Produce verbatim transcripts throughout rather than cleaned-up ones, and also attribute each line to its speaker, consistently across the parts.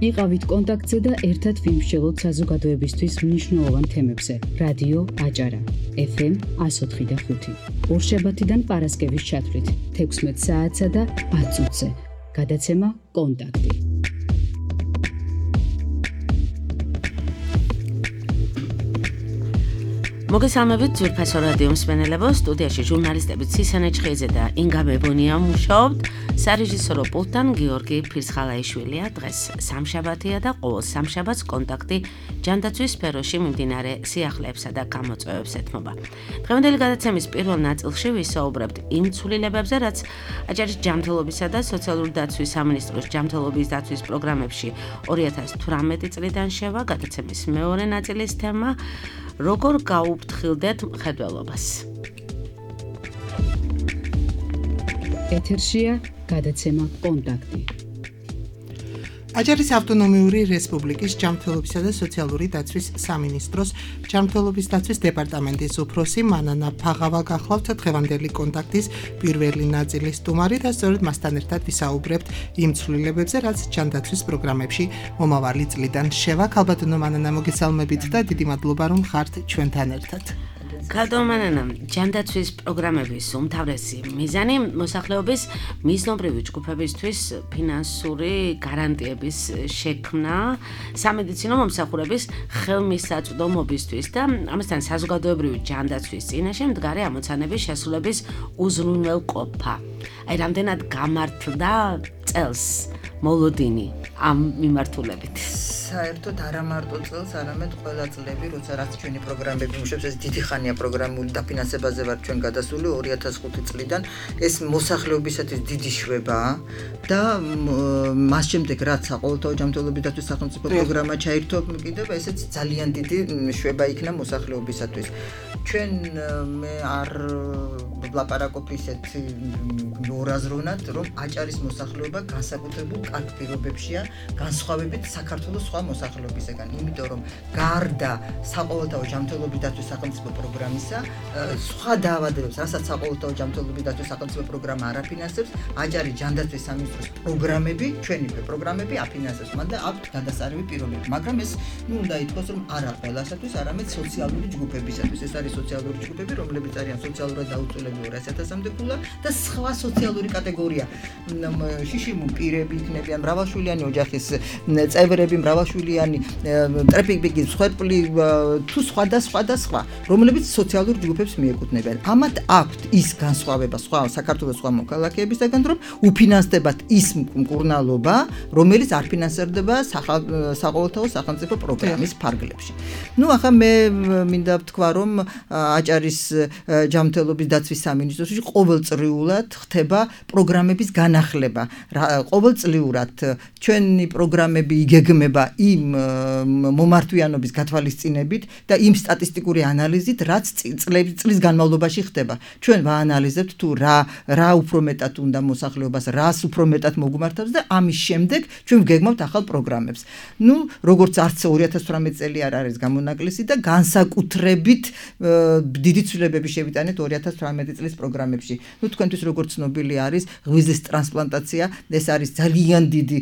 Speaker 1: იყავით კონტაქტზე და ერთად ვიმსჯელოთ საზოგადოებისთვის მნიშვნელოვან თემებზე. რადიო აჭარა, ეფ ემ one oh four point five. ორშაბათიდან პარასკევის ჩათვლით, თექვსმეტ საათსა და ათ წუთზე. გადაცემა კონტაქტი.
Speaker 2: მოგესალმებით ძვირფასო რადიო მსმენელებო, სტუდიაში ჟურნალისტები ცისანე ჩხეიძე და ინგა მებონია მუშაობთ. სარეჟისორო პულტთან გიორგი ფირცხალაიშვილია. დღეს სამშაბათია და ყოველ სამშაბათს კონტაქტი ჯანდაცვის სფეროში მიმდინარე სიახლეებსა და გამოწვევებს ეთმობა. დღევანდელი გადაცემის პირველ ნაწილში ვისაუბრებთ იმ ცვლილებებზე, რაც აჭარის ჯანმრთელობისა და სოციალური დაცვის სამინისტროს ჯანმრთელობის დაცვის პროგრამებში ორი ათას თვრამეტი წლიდან შევა. გადაცემის მეორე ნაწილის თემა როგორ გაუფრთხილდეთ მხედველობას.
Speaker 1: ეთერშია გადაცემა კონტაქტი.
Speaker 3: აჭარის ავტონომიური რესპუბლიკის ჯანმრთელობისა და სოციალური დაცვის სამინისტროს ჯანმრთელობის დაცვის დეპარტამენტის უფროსი მანანა ფაღავა გახლავთ დღევანდელი კონტაქტის პირველი ნაწილის სტუმარი და სწორედ მასთან ერთად ვისაუბრებთ იმ ცვლილებებზე, რაც ჯანდაცვის პროგრამებში მომავალი წლიდან შევა. ქალბატონო მანანა, მოგესალმებით და დიდი მადლობა რომ ხართ ჩვენთან ერთად.
Speaker 2: ქალბატონო, ჯანდაცვის პროგრამების უმთავრესი მიზანი მოსახლეობის მიზნობრივი ჯგუფებისთვის ფინანსური გარანტიების შექმნა, სამედიცინო მომსახურების ხელმისაწვდომობისთვის და ამასთან საზოგადოებრივი ჯანდაცვის წინაშე მდგარი ამოცანების შესრულების უზრუნველყოფა. აი, რამდენად გამართლდა წელს მოლოდინი ამ მიმართულებით?
Speaker 4: საერთოდ არა მარტო წელს, არამედ ყველა წლები, როცა რაც ჩვენი პროგრამები მუშაობს, ეს დიდი ხანია პროგრამული დაფინანსებაზე ვარ ჩვენ გადასული ორი ათას ხუთი წლიდან. ეს მოსახლეობისათვის დიდი შვებაა და მას შემდეგ რაც საყოველთაო ჯანმრთელობის დაცვის სახელმწიფო პროგრამა ჩაირთო, კიდევ ესეც ძალიან დიდი შვება იქნა მოსახლეობისათვის. ჩვენ მე არ ვლაპარაკობ ისეთი ნორაზროვნად, რომ აჭარის მოსახლეობა განსაკუთრებულ კარგ პირობებშია განსხვავებით საქართველოს სხვა მოსახლეობისგან, იმიტომ რომ გარდა საყოველთაო ჯანმრთელობის დაცვის სახელმწიფო პროგრამისა, სხვა დაავადებებს, რასაც საყოველთაო ჯანმრთელობის დაცვის სახელმწიფო პროგრამა არ აფინანსებს, აჭარის ჯანდაცვის სამინისტროს პროგრამები, ჩვენი პროგრამები აფინანსებს, მაგრამ აქვთ გადასარევი პირობები, მაგრამ ეს ნუ უნდა ითქვას, რომ არა ყველასათვის, არამედ სოციალური ჯგუფებისათვის. ეს არის სოციალური ჯგუფები, რომლებიც არიან სოციალურად დაუცველები ორასი ათასამდე ქულა და სხვა სოციალური კატეგორია. შიშიმუ პირები იქნებიან, მრავალშვილიანი ოჯახის წევრები, მრავალშვილიანი ტრეფიკბიგი, სხვერპლი თუ სხვა და სხვა და სხვა, რომლებიც სოციალურ ჯგუფებს მიეკუთვნებიან. ამათ აქვთ ის განსხვავება სხვა საქართველოს სხვა მოქალაქეებისგან, რომ უფინანსდებათ ის მკურნალობა, რომელიც არ ფინანსდება საყოველთაო სახელმწიფო პროგრამის ფარგლებში. ნუ ახლა მე მინდა ვთქვა, რომ აჭარის ჯანმრთელობის დაცვის სამინისტროში ყოველწლიურად ხდება პროგრამების განახლება. ყოველწლიურად ჩვენი პროგრამები იგეგმება იმ მომართვიანობის გათვალისწინებით და იმ სტატისტიკური ანალიზით, რაც წლის განმავლობაში ხდება. ჩვენ ვაანალიზებთ თუ რა რა უფრო მეტად უნდა მოსახლეობას, რას უფრო მეტად მოგმართავს და ამის შემდეგ ჩვენ ვგეგმავთ ახალ პროგრამებს. ნუ როგორც არც ორი ათას თვრამეტი წელი არ არის გამონაკლისი და განსაკუთრებით დიდი ცვლილებები შევიტანეთ ორი ათას თვრამეტი წლის პროგრამებში. ნუ თქვენთვის როგორც ცნობილი არის, ღვიძლის ტრანსპლანტაცია, ეს არის ძალიან დიდი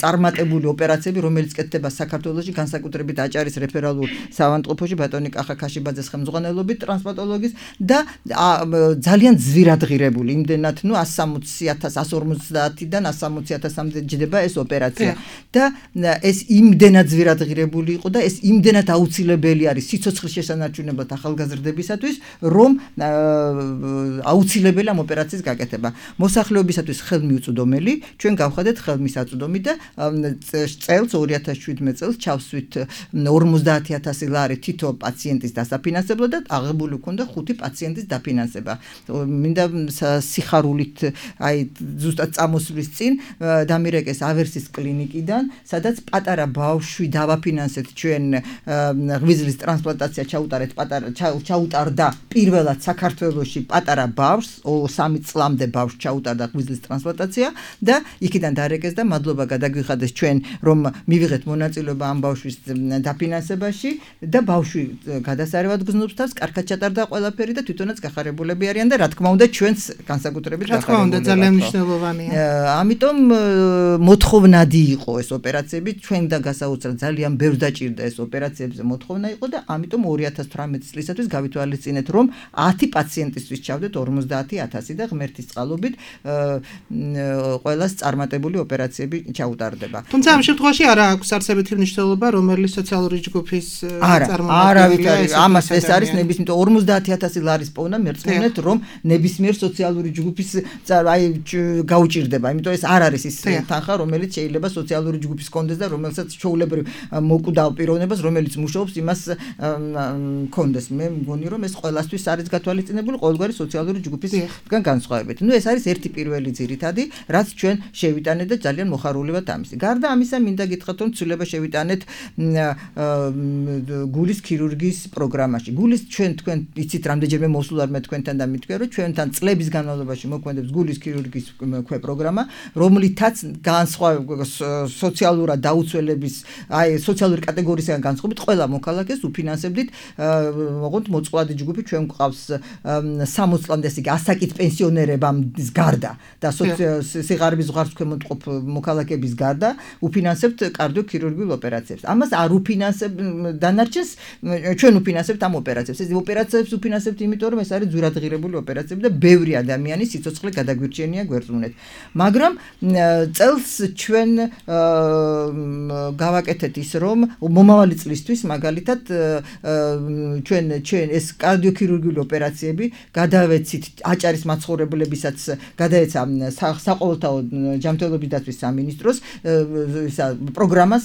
Speaker 4: წარმატებული ოპერაციები, რომელიც კეთდება საქართველოში, განსაკუთრებით აჭარის რეფერალურ საავადმყოფოში ბატონი კახა ქაშიბაძეს ხელმძღვანელობით ტრანსპლანტოლოგის და ძალიან ძვირადღირებული, იმდენად ნუ one forty-one one forty-ათასამდე ჯდება ეს ოპერაცია და ეს იმდენად ძვირადღირებული იყო და ეს იმდენად აუცილებელი არის სიცოცხლის შესანარჩუნებლად ახალგაზრდებისათვის, რომ აუცილებელი ამ ოპერაციის გაკეთება. მოსახლეობისათვის ხელმიუწვდომელი, ჩვენ გავხადეთ ხელმისაწვდომი და წელს ორი ათას შვიდმეტ წელს ჩავსვით ორმოცდაათი ათასი ლარი თითო პაციენტის დასაფინანსებლად და აღებული ქონდა ხუთი პაციენტის დაფინანსება. მინდა სიხარულით აი ზუსტად წამოსვლის წინ დამირეკეს ავერსის კლინიკიდან, სადაც პატარა ბავშვი დავაფინანსეთ ჩვენ ღვიძლის ტრანსპლანტაცია ჩაუტარეთ პატარა ჩაუტარდა პირველად საქართველოში სამაგიეროში პატარა ბავშვს, სამი წლამდე ბავშვს ჩაუტარდა ღვიძლის ტრანსპლანტაცია და იქიდან დარეკეს და მადლობა გადაგვიხადეს ჩვენ რომ მივიღეთ მონაწილეობა ამ ბავშვის დაფინანსებაში და ბავშვი გადასარევად გზნობს თავს, კარგად ჩატარდა ყველაფერი და თვითონაც გახარებულები არიან და რა თქმა უნდა ჩვენც განსაკუთრებით
Speaker 3: გახარებულები. რა თქმა უნდა ძალიან მნიშვნელოვანია.
Speaker 4: ამიტომ მოთხოვნადი იყო ეს ოპერაციები, ჩვენ და გასაოცრად ძალიან ბევრ დაჭირდა ეს ოპერაციებზე მოთხოვნა იყო და ამიტომ ორი ათას თვრამეტი წლისათვის გავითვალისწინეთ რომ ათი პაციენტისთვის ჩავდეთ ორმოცდაათი ათასი და ღმერთის წყალობით ყველას წარმატებული ოპერაციები ჩაუტარდება.
Speaker 3: თუმცა ამ შემთხვევაში არა აქვს არსებითი მნიშვნელობა რომელი სოციალური ჯგუფის
Speaker 4: წარმომადგენელი ამას ეს არის ნებისმიერ ორმოცდაათი ათასი ლარის პოვნა მერწმუნეთ რომ ნებისმიერ სოციალური ჯგუფის აი გაუჭირდება, იმიტომ ეს არ არის ის თანხა რომელიც შეიძლება სოციალური ჯგუფის კონდეს და რომელსაც ჩვეულებრივ მოკვდავ პიროვნებას რომელიც მუშაობს იმას კონდეს. მე მგონი რომ ეს ყველასთვის არის გათვალისწინებული ყოველგვარი სოციალური ჯგუფისგან განსხვავებით. ნუ ეს არის ერთი პირველი ძირითადი, რაც ჩვენ შევიტანეთ და ძალიან მოხარული ვართ ამის. გარდა ამისა მინდა გითხრათ რომ ცვლილება შევიტანეთ გულის ქირურგიის პროგრამაში. გულის ჩვენ თქვენ იცით რამდენჯერმე მოსულ არ მე თქვენთან და მითქვია რომ ჩვენთან წლების განმავლობაში მოქმედებს გულის ქირურგიის ქვე პროგრამა, რომლითაც განსხვავებით სოციალურად დაუცველების აი სოციალური კატეგორიისგან განსხვავებით ყველა მოქალაქეს უფინანსებდით ოღონდ მოწყვლადი ჯგუფი ჩვენ გვყავს სამოცი წლამდე ისე ასაკით პენსიონერებამდე გარდა და სიღარიბის ზღვარს ქვემოთ მოქალაქეების გარდა უფინანსებთ კარდიოქირურგიულ ოპერაციებს. ამას არ უფინანსებ დანარჩენს ჩვენ უფინანსებთ ამ ოპერაციებს. ეს ოპერაციებს უფინანსებთ იმიტომ რომ ეს არის ძვირადღირებული ოპერაციები და ბევრი ადამიანის სიცოცხლე გადაგვირჩენია გვერდზუნეთ. მაგრამ წელს ჩვენ გავაკეთეთ ის რომ მომავალი წლისთვის მაგალითად ჩვენ ჩვენ ეს კარდიოქირურგიული ოპერაციები გადავეცით აჭარის მაცხოვრებლებისაც გადაეცა საყოველთაო ჯანმრთელობის დაცვის სამინისტროს პროგრამას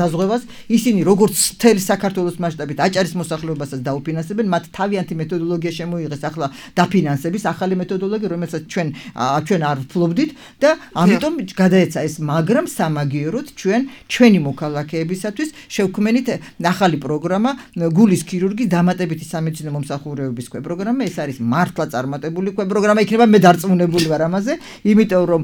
Speaker 4: დაზღვევას ისინი როგორც მთელი საქართველოს მასშტაბით აჭარის მოსახლეობასაც დაუფინანსებენ მათ თავიანთი მეთოდოლოგია შემოიღეს ახლა დაფინანსების ახალი მეთოდოლოგია რომელსაც ჩვენ ჩვენ არ ვფლობდით და ამიტომ გადაეცა ეს მაგრამ სამაგიეროდ ჩვენ ჩვენი მოქალაქეებისათვის შევქმნით ახალი პროგრამა გულის ქირურგიის დამატებითი სამედიცინო მომსახურებების ქვე პროგრამა. ეს არის მართლა წარმატებული ქვე პროგრამა იქნება მე დარწმუნებული ვარ ამაზე იმიტომ რომ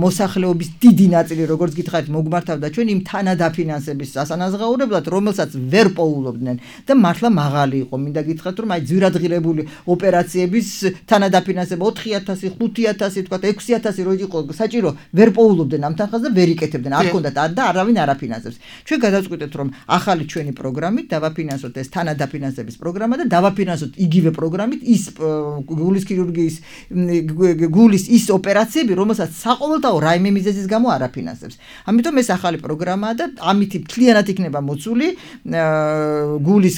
Speaker 4: მოსახლეობის დიდი ნაწილი როგორც გითხარით მოგმართავდა ჩვენ იმ თანადაფინანსების ასანაზღაურებლად რომელსაც ვერ პოულობდნენ და მართლა მაღალი იყო. მინდა გითხრათ რომ აი ძვირადღირებული ოპერაციების თანადაფინანსება ოთხი ათასი ხუთი ათასი თქვა ექვსი ათასი რო იყო საჭირო ვერ პოულობდნენ ამ თანხას და ვერ იკეთებდნენ არ ჰქონდათ არ და არავინ არ აფინანსებს. ჩვენ გადავწყვიტეთ რომ ახალი ჩვენი პროგრამით დავაფინანსოთ ეს თანადაფინანსების პროგრამა და დავაფინანსოთ იგივე პროგრამით ის გულის ქირურგიის გულის ის ოპერაციები რომელსაც საყოველთაო რაიმე მიზეზის გამო არ აფინანსებს. ამიტომ ეს ახალი პროგრამაა და ამით მთლიანად იქნება მოცული გულის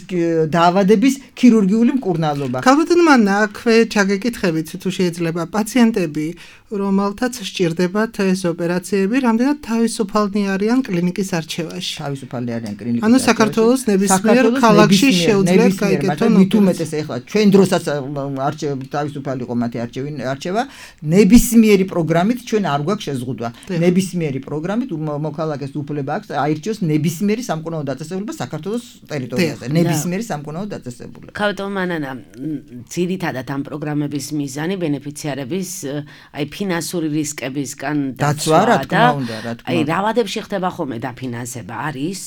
Speaker 4: დაავადების ქირურგიული მკურნალობა.
Speaker 3: ქალბატონო მან აქვე ჩაგეკითხებით თუ შეიძლება პაციენტები რომელთაც სჭირდებათ ეს ოპერაციები რამდენად თავისუფალნი არიან კლინიკის არჩევაში.
Speaker 4: თავისუფალნი არიან კლინიკის
Speaker 3: ანუ საქართველოს ნებისმიერ ქალაქში შეუძლიათ გაიგეთონ
Speaker 4: უთუმეტეს ეხლა ჩვენ დროსაც არჩევ თავისუფალი იყო მათი არჩევა ნებისმიერი პროგრამით ჩვენ არ გვაქვს შეზღუდვა. ნებისმიერი პროგრამით მოქალაქეს უფლება აქვს აირჩიოს ნებისმიერი სამკურნალო დაწესებულება საქართველოს ტერიტორიაზე. ნებისმიერი სამკურნალო დაწესებულება.
Speaker 2: ქალბატონო მანანა ძირითადად ამ პროგრამების მიზანი ბენეფიციარების აი ფინანსური რისკებისგან
Speaker 4: დაცვა რა თქმა უნდა რა თქმა უნდა.
Speaker 2: აი რავადებში ხდება ხოლმე დაფინანსება არის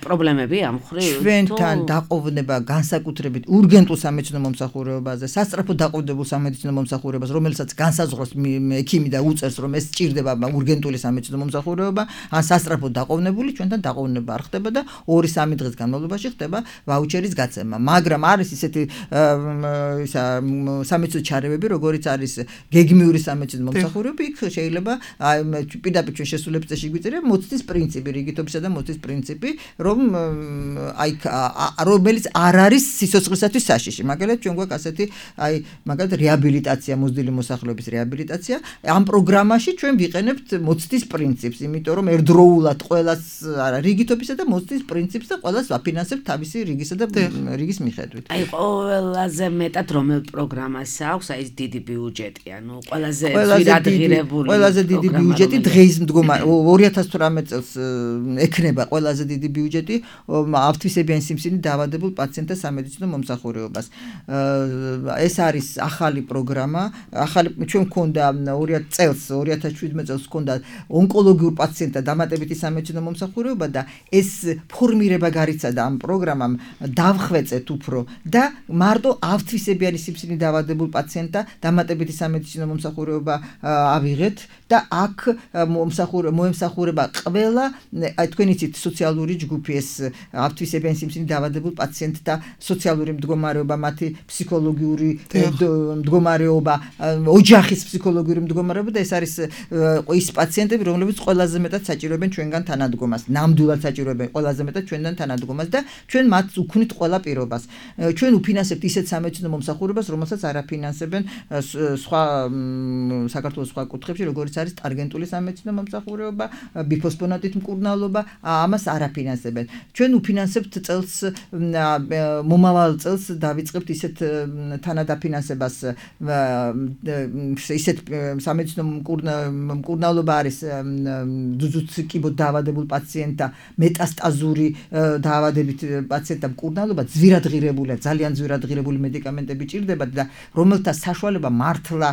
Speaker 2: პრობლემები ამ ხრივ
Speaker 4: ჩვენთან დაყოვნება განსაკუთრებით ურგენტულ სამედიცინო მომსახურებაზე სასწრაფო დაყოვებულ სამედიცინო მომსახურებას რომელსაც განსაზღვრავს ექიმი და უწევს რომ ეს სჭირდება ურგენტული სამედიცინო მომსახურება ან სასწრაფო დაყოვნებული ჩვენთან დაყოვნება არ ხდება და ორი სამი დღის განმავლობაში ხდება ვაუჩერის გაცემა. მაგრამ არის ისეთი ისა სამედიცინო ჩარევები როგორიც არის გეგმიური სამედიცინო მომსახურება იქ შეიძლება პირდაპირ ჩვენ შესულების წესში გვიწერია მოცდის პრინციპი რიგითობისა და მოცდის პრინციპი რომ აი რომელიც არ არის სიცოცხლისათვის საშიში. მაგალითად ჩვენ გვაქვს ასეთი აი მაგალითად რეაბილიტაცია მოზრდილი მოსახლეობის რეაბილიტაცია ამ პროგრამაში ჩვენ ვიყენებთ მოცდის პრინციპს იმიტომ რომ ერთდროულად ყველას არა რიგითობისა და მოცდის პრინციპს და ყველას ვაფინანსებთ თავისი რიგისა და რიგის მიხედვით.
Speaker 2: აი ყველაზე მეტად რომელ პროგრამას აქვს აი ეს დიდი ბიუჯეტი ანუ ყველაზე ძვირადღირებული
Speaker 4: ყველაზე დიდი ბიუჯეტი დღეის მდგომარე ორი ათას თვრამეტ წელს ექნება ყველაზე დიდი ბიუჯეტი ავთვისებიანი სიმსივნით დაავადებულ პაციენტთა სამედიცინო მომსახურებას. ეს არის ახალი პროგრამა, ახალი ჩვენ გვქონდა ორი ათი წელს, ორი ათას შვიდმეტ წელს გვქონდა ონკოლოგიურ პაციენტთა დამატებითი სამედიცინო მომსახურება და ეს ფორმირება გარიცადა ამ პროგრამამ დავხვეწეთ უფრო და მარტო ავთვისებიანი სიმსივნით დაავადებულ პაციენტთა დამატებითი სამედიცინო მომსახურება ავიღეთ და აქ მომსახურება ყველა აი თქვენ იცით სოციალური ჯგუფი ეს ავთვისებიანი სიმსივნით დაავადებულ პაციენტთა სოციალური მდგომარეობა, მათი ფსიქოლოგიური მდგომარეობა, ოჯახის ფსიქოლოგიური მდგომარეობა და ეს არის ის პაციენტები, რომლებიც ყველაზე მეტად საჭიროებენ ჩვენგან თანადგომას, ნამდვილად საჭიროებენ ყველაზე მეტად ჩვენგან თანადგომას და ჩვენ მათ უქმნით ყველა პირობას. ჩვენ უფინანსებთ ისეთ სამედიცინო მომსახურებას, რომელსაც არ აფინანსებენ სხვა საქართველოს სხვა კუთხებში, როგორც არის ტარგენტული სამედიცინო მომსახურება, ბიფოსფონატით მკურნალობა, ამას არ აფინანსებენ. ჩვენ უფინანსებთ წელს მომავალ წელს დავიწყებთ ისეთ თანადაფინანსებას, ისეთ სამედიცინო მკურნალობა არის ძუძუცკიბოდ დაავადებულ პაციენტთა მეტასტაზური დაავადებით პაციენტთა მკურნალობა ძვირადღირებულია, ძალიან ძვირადღირებული მედიკამენტები ჭირდებათ და რომელთა საშუალება მართლა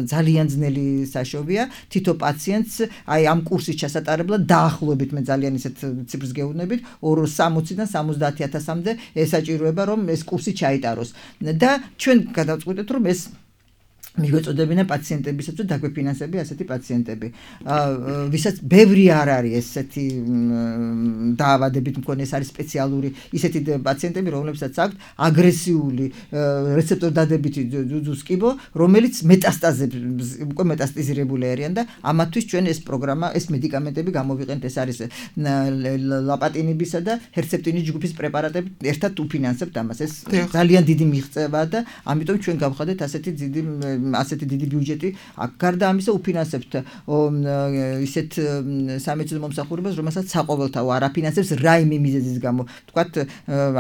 Speaker 4: ძალიან ძნელი საშობია. თითო პაციენტს აი ამ კურსის ჩასატარებლად დაახლოებით მე ძალიან ისეთ ციფრს გეუბნებით სამოციდან სამოცდაათი ათასამდე ესაჭიროება რომ ეს კურსი ჩაიტაროს და ჩვენ გადავწყვიტეთ რომ ეს მიგვეწოდებინა პაციენტებისაც და დაგვეფინანსებია ასეთი პაციენტები. ვისაც ბევრი არ არის ესეთი დაავადებით მქონე, ეს არის სპეციალური ისეთი პაციენტები, რომლებსაც აქვთ აგრესიული რეცეპტორ დადებითი ძუძუსკიბო, რომელიც მეტასტაზებს უკვე მეტასტაზირებული არიან და ამათთვის ჩვენ ეს პროგრამა, ეს მედიკამენტები გამოვიყენთ, ეს არის ლაპატინიბისა და ჰერცეპტინის ჯგუფის პრეპარატები ერთად უფინანსებთ ამას. ეს ძალიან დიდი მიღწევაა და ამიტომ ჩვენ გავხადეთ ასეთი დიდი ასეთი დიდი ბიუჯეტი. გარდა ამისა უფინანსებთ ისეთ სამედიცინო მომსახურებას, რომელსაც საყოველთაო არ აფინანსებს რაიმე მიზეზის გამო. თქვათ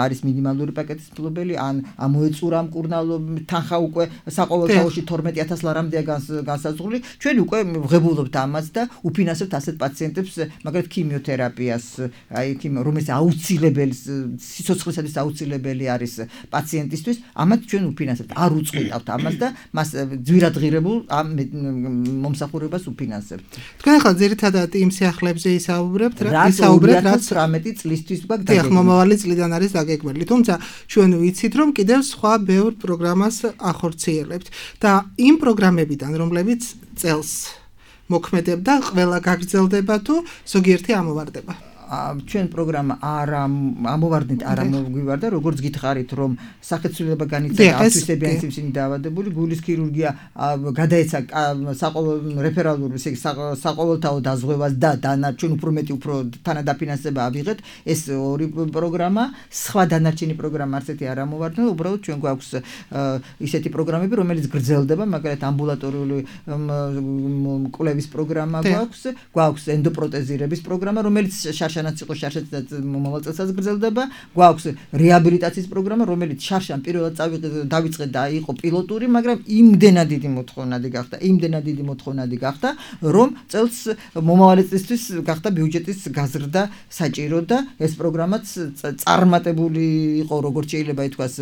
Speaker 4: არის მინიმალური პაკეტის მფლობელი, ან ამოეწურა მკურნალობა, თანხა უკვე საყოველთაოში თორმეტი ათას ლარამდეა განსაზღვრული. ჩვენ უკვე ვღებულობთ ამას და უფინანსებთ ასეთ პაციენტებს, მაგალითად ქიმიოთერაპიას, აი რომელიც აუცილებელი სიცოცხლისათვის აუცილებელი არის პაციენტისთვის, ამათ ჩვენ უფინანსებთ. არ უწყვეტავთ ამას და მას ძვირადღირებულ ამ მომსახურებას უფინანსებთ.
Speaker 3: თქვენ ახლა ძირითადად იმ სიახლეებზე ისაუბრებთ,
Speaker 4: ისაუბრებთ რაც თვრამეტი წლისთვის გვაქვს
Speaker 3: დაგეგმილი. დიახ, მომავალი წლიდან არის დაგეგმილი. თუმცა ჩვენ ვიცით, რომ კიდევ სხვა ბევრ პროგრამას ახორციელებთ და იმ პროგრამებიდან, რომლებიც წელს მოქმედებდა, ყველა გაგრძელდება თუ ზოგიერთი ამოვარდება.
Speaker 4: ჩვენ პროგრამა არ ამოვარდნით, არ ამოგვივარდა, როგორც გითხარით, რომ სახეცვლილება განიცადა ავთვისებიანი სიმსივნით დაავადებული, გულის ქირურგია გადაეცა რეფერალურ საყოველთაო დაზღვევას და დანარჩენ უფრო მეტი უფრო თანადაფინანსება ავიღეთ. ეს ორი პროგრამა, სხვა დანარჩენი პროგრამა არცეთი არ ამოვარდნა, უბრალოდ ჩვენ გვაქვს ისეთი პროგრამები, რომელიც გრძელდება, მაგალითად ამბულატორიული კვლევის პროგრამა გვაქვს, გვაქვს ენდოპროტეზირების პროგრამა, რომელიც შანაც იყო შარშანაც მომავალ წელსაც გრძელდება. გვაქვს რეაბილიტაციის პროგრამა, რომელიც შარშან პირველად დავიწყეთ და იყო პილოტური, მაგრამ იმდენად დიდი მოთხოვნადი გახდა, იმდენად დიდი მოთხოვნადი გახდა, რომ წელს მომავალი წლისთვის გახდა ბიუჯეტის გაზრდა საჭირო და ეს პროგრამაც წარმატებული იყო, როგორც შეიძლება ითქვას,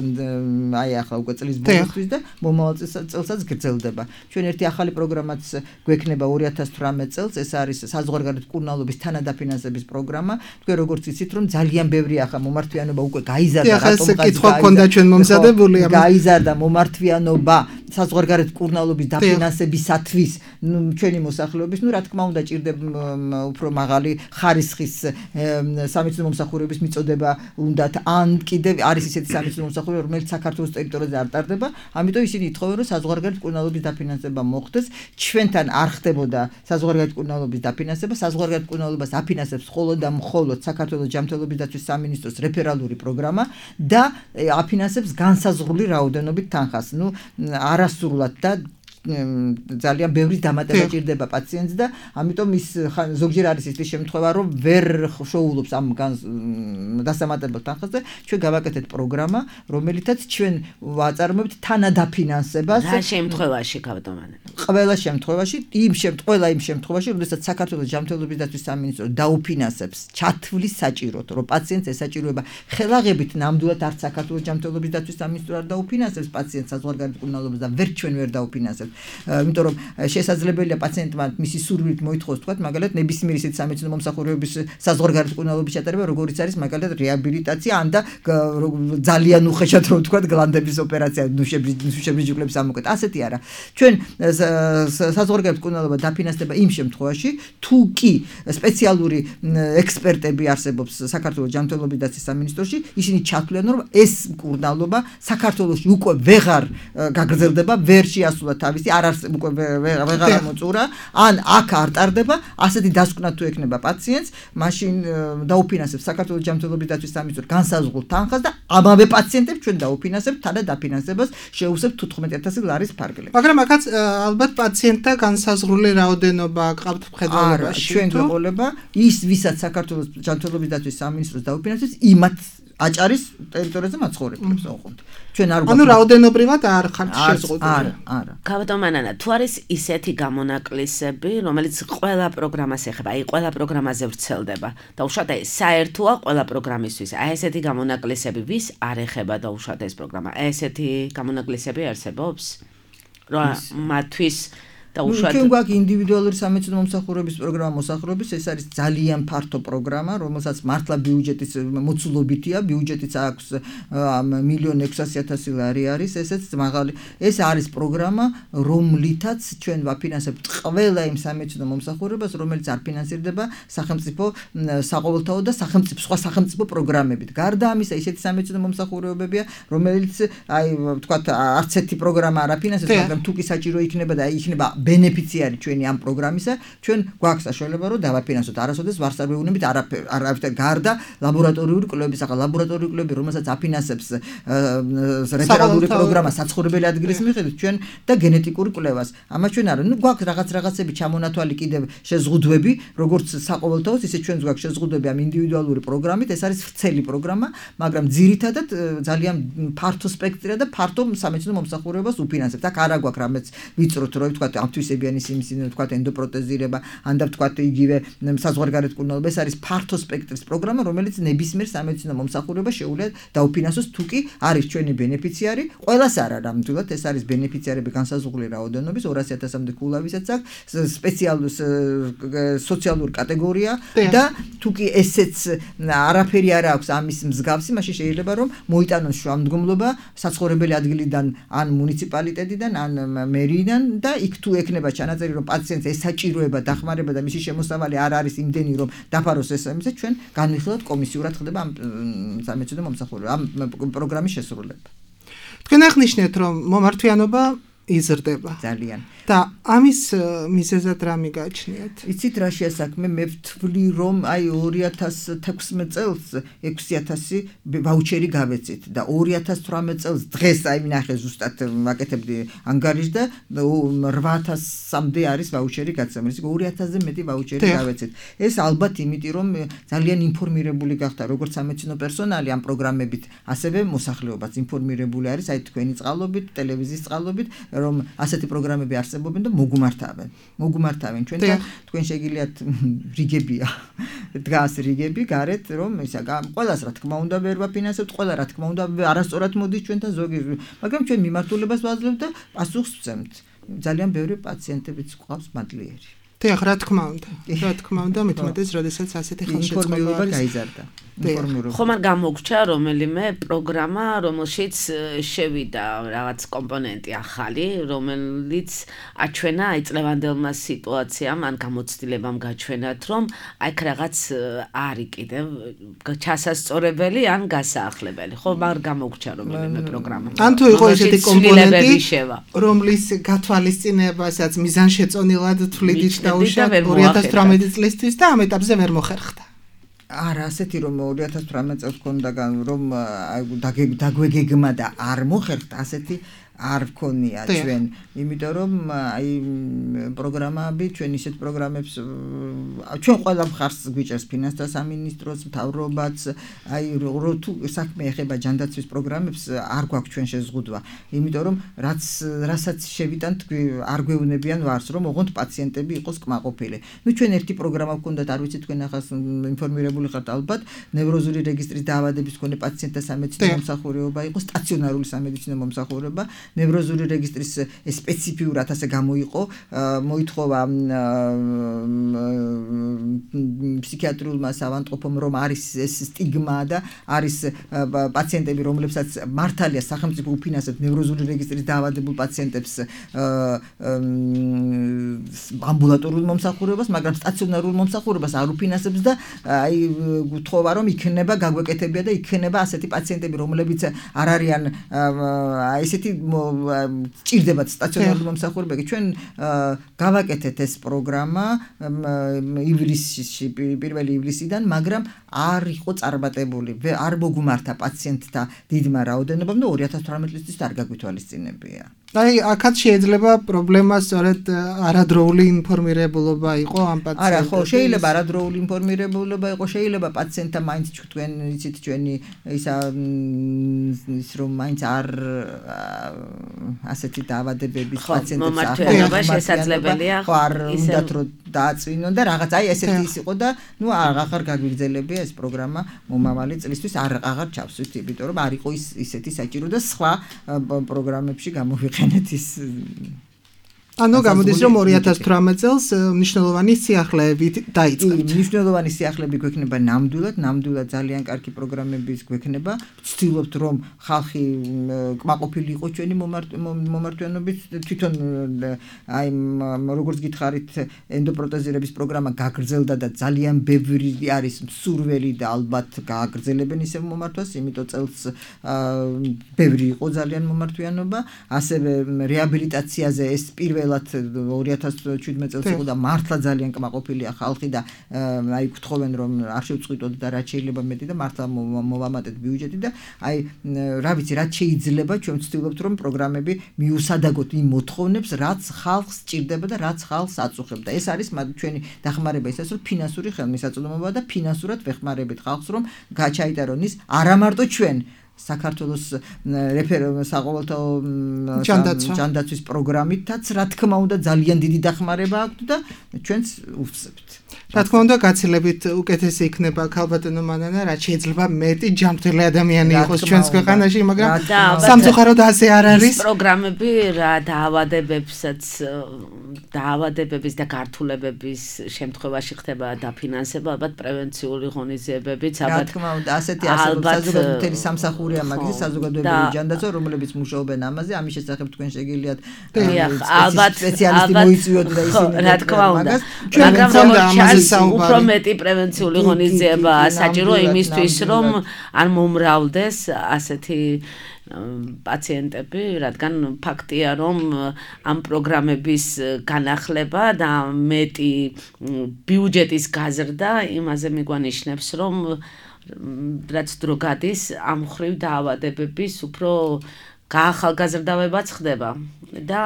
Speaker 4: აი ახლა უკვე წლის ბოლოსთვის და მომავალ წელსაც გრძელდება. ჩვენ ერთი ახალი პროგრამაც გვექნება ორი ათას თვრამეტ წელს, ეს არის საზღვარგარეთ მკურნალობის თანადაფინანსების პროგრამა. თქვენ როგორც იცით, რომ ძალიან ბევრი ახლა მომართვიანობა უკვე გაიზარდა,
Speaker 3: რატომ გაიზარდა?
Speaker 4: გაიზარდა მომართვიანობა საზღვარგარეთ მკურნალობის დაფინანსებისათვის ჩვენი მოსახლეობის, ну, რა თქმა უნდა, ჭირდება უფრო მაღალი ხარისხის სამედიცინო მომსახურების მიწოდება უნდათ, ან კიდევ არის ისეთი სამედიცინო მომსახურება, რომელიც საქართველოს ტერიტორიაზე არ ტარდება, ამიტომ ისინი ითხოვენ, რომ საზღვარგარეთ მკურნალობის დაფინანსება მოხდეს. ჩვენთან არ ხდებოდა საზღვარგარეთ მკურნალობის დაფინანსება, საზღვარგარეთ მკურნალობას აფინანსებს მხოლოდ და მხოლოდ საქართველოს ჯანმრთელობის დაცვის სამინისტროს რეფერალური პროგრამა და აფინანსებს განსაზღვრული რაოდენობით თანხას. ნუ არასრულად და ძალიან ბევრი დამატება ჭირდება პაციენტს და ამიტომ ის ზოგჯერ არის ის შემთხვევა რომ ვერ შოულობს ამ დასამატებელ თანხაზე ჩვენ გავაკეთეთ პროგრამა რომელითაც ჩვენ ვაწარმოებთ თანადაფინანსებას
Speaker 2: რა შემთხვევაში გავდომანე
Speaker 4: ყველა შემთხვევაში იმ შემთხვევა იმ შემთხვევაში როდესაც საქართველოს ჯანმრთელობის დაცვის სამინისტრო დაუფინანსებს ჩათვლის საჭიროდ რომ პაციენტს ესაჭიროება ხელაღებით ნამდვილად არც საქართველოს ჯანმრთელობის დაცვის სამინისტრო არ დაუფინანსებს პაციენტს საზღვარგარეთ მკურნალობას და ვერ ჩვენ ვერ დაუფინანსებთ იმიტომ რომ შესაძლებელია პაციენტმა მისი სურვილით მოითხოვოს თქვა მაგალითად ნებისმიერი ისეთი სამედიცინო მომსახურების საზღვარგარეთ მკურნალობის ჩატარება როგორიც არის მაგალითად რეაბილიტაცია ან და ძალიან უხეშად რომ თქვა გლანდების ოპერაცია ნუშებრიჯგლების ამოკვეთ ასეთი არა ჩვენ საზღვარგარეთ მკურნალობა დაფინანსდება იმ შემთხვევაში თუ კი სპეციალური ექსპერტები არსებობს საქართველოს ჯანმრთელობის დაცვის სამინისტროში ისინი ჩათვლიან რომ ეს მკურნალობა საქართველოში უკვე ვეღარ გაგრძელდება ვერ შეასრულა თავისი არ არსებ უკვე ვეღარ მოწურა ან აქ არ ტარდება ასეთი დასკვნა თუ ექნება პაციენტს მაშინ დაუფინანსებს საქართველოს ჯანმრთელობის დაცვის სამინისტრო განსაზღვრულ თანხას და ამავე პაციენტებს ჩვენ დაუფინანსებთ თანადაფინანსებას შევუსებთ თუთხმეტ ათასი ლარის ფარგლებს
Speaker 3: მაგრამ აქაც ალბათ პაციენტთა განსაზღვრული რაოდენობა ყავთ მხედველობაში
Speaker 4: ჩვენ გვეყოლება ის ვისაც საქართველოს ჯანმრთელობის დაცვის სამინისტროს დაუფინანსებს იმათ აჭარის ტერიტორიაზე მაცხოვრებლებს ოღონდ ჩვენ არ
Speaker 3: ანუ რაოდენობრივად არ ხართ შეზღუდული
Speaker 4: არა არა
Speaker 2: გავდომანანა თუ არის ისეთი გამონაკლისები რომელიც ყველა პროგრამას ეხება აი ყველა პროგრამაზე ვრცელდება და უშუალოდ აი საერთოა ყველა პროგრამისთვის აი ესეთი გამონაკლისები ვის არ ეხება და უშუალოდ ეს პროგრამა აი ესეთი გამონაკლისები არსებობს რა მათთვის და უშუალოდ
Speaker 4: ჩვენ გვაქვს ინდივიდუალური სამედიცინო მომსახურების პროგრამა მოსახურების ეს არის ძალიან ფართო პროგრამა რომელსაც მართლა ბიუჯეტის მოცულობითია ბიუჯეტიც აქვს მილიონ ექვსასი ათასი ლარი არის ესეც მაღალი ეს არის პროგრამა რომლითაც ჩვენ ვაფინანსებთ ყველა იმ სამედიცინო მომსახურებას რომელიც არ ფინანსირდება სახელმწიფო საყოველთაო და სახელმწიფო სხვა სახელმწიფო პროგრამებით გარდა ამისა ისეთი სამედიცინო მომსახურებებია რომელიც აი ვთქვათ არც ერთი პროგრამა არ აფინანსებს მაგრამ თუ კი საჭირო იქნება და იქნება ბენეფიციარი ჩვენი ამ პროგრამისა ჩვენ გვაქვს საშუალება რომ დავაფინანსოთ არასოდეს ვარს არ ვეუბნებით არავითარ გარდა ლაბორატორიული კვლევების ახლა ლაბორატორიული კვლევები რომელსაც აფინანსებს რეფერალური პროგრამა საცხოვრებელი ადგილის მიხედვით ჩვენ და გენეტიკური კვლევას ამას ჩვენ არა ნუ გვაქვს რაღაც რაღაცები ჩამონათვალი კიდევ შეზღუდვები როგორც საყოველთაოს ისე ჩვენს გვაქვს შეზღუდვები ამ ინდივიდუალური პროგრამით ეს არის ვრცელი პროგრამა მაგრამ ძირითადად ძალიან ფართო სპექტრია და ფართო სამედიცინო მომსახურებას უფინანსებთ აქ არა გვაქვს რამეც ვიწროთ რომ ვთქვათ ამთვისებიანი სიმსივნე ვთქვათ ენდოპროტეზირება ან და ვთქვათ იგივე საზღვარგარეთ მკურნალობა ეს არის ფართო სპექტრის პროგრამა რომელიც ნებისმიერ სამედიცინო მომსახურებას შეუძლია დაუფინანსოს თუ კი არის ჩვენი ბენეფიციარი ყველას არა ნამდვილად ეს არის ბენეფიციარები განსაზღვრული რაოდენობის ორასი ათასამდე ქულავისაც აქვს სპეციალური სოციალური კატეგორია და თუ კი ესეც არაფერი არ აქვს ამის მსგავსი მაშინ შეიძლება რომ მოიტანოს შუამდგომლობა საცხოვრებელი ადგილიდან ან მუნიციპალიტეტიდან ან მერიიდან და იქ თუ ექნება ჩანაწერი რომ პაციენტს ესაჭიროება დახმარება და მისი შემოსავალი არ არის იმდენი რომ დაფაროს ეს ამაზე ჩვენ განვიხილავთ კომისიურად ხდება ამ სამედიცინო მომსახურება ამ პროგრამის შესრულება
Speaker 3: თქვენ აღნიშნეთ რომ მომართვიანობა იზრდება
Speaker 4: ძალიან
Speaker 3: და ამის მიზეზად რა მიგაჩნიათ
Speaker 4: იცით რა შეასაქმე მე ვთვლი რომ აი ორი ათას თექვსმეტ წელს ექვსი ათასი ვაუჩერი გავეცით და ორი ათას თვრამეტ წელს დღეს აი მინახე ზუსტად ვაკეთებდი ანგარიშს და რვა ათასამდე არის ვაუჩერი გაცემული ისე ორი ათასზე მეტი ვაუჩერი გავეცით ეს ალბათ იმიტომ რომ ძალიან ინფორმირებული გახდა როგორც სამედიცინო პერსონალი ამ პროგრამებით ასევე მოსახლეობაც ინფორმირებული არის აი თქვენი წყალობით ტელევიზიის წყალობით რომ ასეთი პროგრამები არსებობენ და მოგუმართავენ. მოგუმართავენ ჩვენ და თქვენ შეგიძლიათ რიგებია. დგას რიგები გარეთ რომ ისა ყველას რა თქმა უნდა ვერ ვაფინანსებთ, ყველა რა თქმა უნდა არასწორად მოდის ჩვენთან ზოგი, მაგრამ ჩვენ მიმართულებას ვაძლევთ და პასუხს ვცემთ. ძალიან ბევრი პაციენტებიც გვყავს მადლიერი.
Speaker 3: დიახ, რა თქმა უნდა. რა თქმა უნდა, მithumetes, როდესაც ასეთი ხელშეწყობა
Speaker 4: გაიზარდა.
Speaker 2: ხომ არ გამოგრჩა რომელიმე პროგრამა, რომელშიც შევიდა რაღაც კომპონენტი ახალი, რომელიც აჩვენა აი წლევანდელმა სიტუაციამ ან გამოცდილებამ გაჩვენათ, რომ აი რაღაც არის კიდევ ჩასასწორებელი ან გასაახლებელი. ხომ არ გამოგრჩა რომელიმე პროგრამა.
Speaker 3: ან თუ იყო ესეთი კომპონენტი, რომლის გათვალისწინებასაც მიზანშეწონილად თვლიდით დაუშვათ ორი ათას თვრამეტი წლისთვის და ამ ეტაპზე ვერ მოხერხდა.
Speaker 4: არა, ასეთი რომ ორი ათას თვრამეტ წელს ქონდა რომ დაგვეგეგმა და არ მოხერხდა, ასეთი არ გქონია ჩვენ, იმიტომ რომ აი პროგრამები, ჩვენ ისეთ პროგრამებს ჩვენ ყველა მხარს გვიჭერს ფინანსთა სამინისტროს, მთავრობაც, აი თუ საქმე ეხება ჯანდაცვის პროგრამებს, არ გვაქვს ჩვენ შეზღუდვა, იმიტომ რომ რაც რასაც შევიტანთ, არ გვეუბნებიან ვარს, რომ ოღონდ პაციენტები იყოს კმაყოფილი. ნუ ჩვენ ერთი პროგრამა გქონდათ, არ ვიცი თქვენ ახლა ინფორმირებული ხართ ალბათ, ნევროზული რეგისტრის დაავადების მქონე პაციენტთა სამედიცინო მომსახურება იყო, სტაციონარული სამედიცინო მომსახურება, ნევროზული რეგისტრის სპეციფიურად ასე გამოიყო, მოითხოვა ფსიქიატრიულმა საავადმყოფომ, რომ არის ეს სტიგმა და არის პაციენტები, რომლებსაც მართალია სახელმწიფო უფინანსებს ნევროზული რეგისტრის დაავადებულ პაციენტებს ამბულატორულ მომსახურებას, მაგრამ სტაციონარულ მომსახურებას არ უფინანსებს და აი გთხოვა, რომ იქნება გაგვეკეთებია და იქნება ასეთი პაციენტები, რომლებიც არ არიან ესეთი ჭირდებათ სტაციონარული მომსახურება. ჩვენ გავაკეთეთ ეს პროგრამა ივლისში, პირველი ივლისიდან, მაგრამ არ იყო წარმატებული. არ მოგუმართა პაციენტთა დიდმა რაოდენობამ და ორი ათას თვრამეტი წლის არ გაგვითვალისწინებია.
Speaker 3: აი, აქაც შეიძლება პრობლემა სწორედ არადროული ინფორმირებულობა იყო ამ პაციენტებს.
Speaker 4: არა, ხო, შეიძლება არადროული ინფორმირებულობა იყო, შეიძლება პაციენტთა მაინც თქვენ იცით ჩვენი ისა ის რომ მაინც არ ასეთი დაავადებების პაციენტებს
Speaker 2: მომართვიანობა შესაძლებელია.
Speaker 4: ხო, არ უნდათ რომ დააწვინონ და რაღაც აი ესეთი ის იყო და ნუ აღარ გაგვიგრძელებია ეს პროგრამა მომავალი წლისთვის არ აღარ ჩავსვით, იმიტომ რომ არ იყო ის ისეთი საჭირო და სხვა პროგრამებში გამოვიყენეთ ის
Speaker 3: ანუ გამოდის რომ ორი ათას თვრამეტ წელს მნიშვნელოვანი სიახლეებით დაიწყებთ.
Speaker 4: მნიშვნელოვანი სიახლეები გვექნება ნამდვილად, ნამდვილად ძალიან კარგი პროგრამების გვექნება. ვცდილობთ რომ ხალხი კმაყოფილი იყოს ჩვენი მომართვიანობით. თვითონ აი როგორც გითხარით, ენდოპროტეზირების პროგრამა გაგრძელდა და ძალიან ბევრი არის მსურველი და ალბათ გააგრძელებენ ისევ მომართვას, იმიტომ წელს ბევრი იყო ძალიან მომართვიანობა. ასევე რეაბილიტაციაზე ეს პირველ ორი ათას შვიდმეტ წელს იყო და მართლა ძალიან კმაყოფილია ხალხი და აი გთხოვენ რომ არ შევწყვიტოთ და რაც შეიძლება მეტი და მართლა მოვამატეთ ბიუჯეტი და აი რა ვიცი რაც შეიძლება ჩვენ ვცდილობთ რომ პროგრამები მიუსადაგოთ იმ მოთხოვნებს რაც ხალხს სჭირდება და რაც ხალხს აწუხებდა. ეს არის ჩვენი დახმარება ისე რომ ფინანსური ხელმისაწვდომობა და ფინანსურად ვეხმარებით ხალხს რომ გაჩაიტარონ ის არა მარტო ჩვენ საქართველოს საყოველთაო ჯანდაცვის პროგრამითაც რა თქმა უნდა ძალიან დიდი დახმარება აქვს და ჩვენც ვუხსებთ.
Speaker 3: რა თქმა უნდა გაცილებით უკეთესი იქნება ქალბატონო მანანა, რაც შეიძლება მეტი ჯანმრთელი ადამიანი იყოს ჩვენს ქვეყანაში, მაგრამ სამწუხაროდ ასე არ არის.
Speaker 2: ის პროგრამები რა დაავადებებსაც დაავადებების და გართულებების შემთხვევაში ხდება დაფინანსება, ალბათ პრევენციული ღონისძიებებიც,
Speaker 4: ალბათ რა თქმა უნდა ასეთი არსებობს საზოგადოებრივი სამსახურია მაგის საზოგადოებრივი ჯანდაცვა, რომლებიც მუშაობენ ამაზე, ამის შესახებ თქვენ შეგიძლიათ
Speaker 2: ალბათ
Speaker 4: სპეციალისტი მოიწვიოთ და ისინი
Speaker 2: რა თქმა უნდა, მაგრამ როგორც უფრო მეტი პრევენციული ღონისძიება საჭირო იმისთვის, რომ არ მომრავლდეს ასეთი პაციენტები, რადგან ფაქტია, რომ ამ პროგრამების განახლება და მეტი ბიუჯეტის გაზრდა იმაზე მიგვანიშნებს, რომ რაც დრო გადის, ამ მხრივ დაავადებების უფრო გაახალგაზრდავებაც ხდება და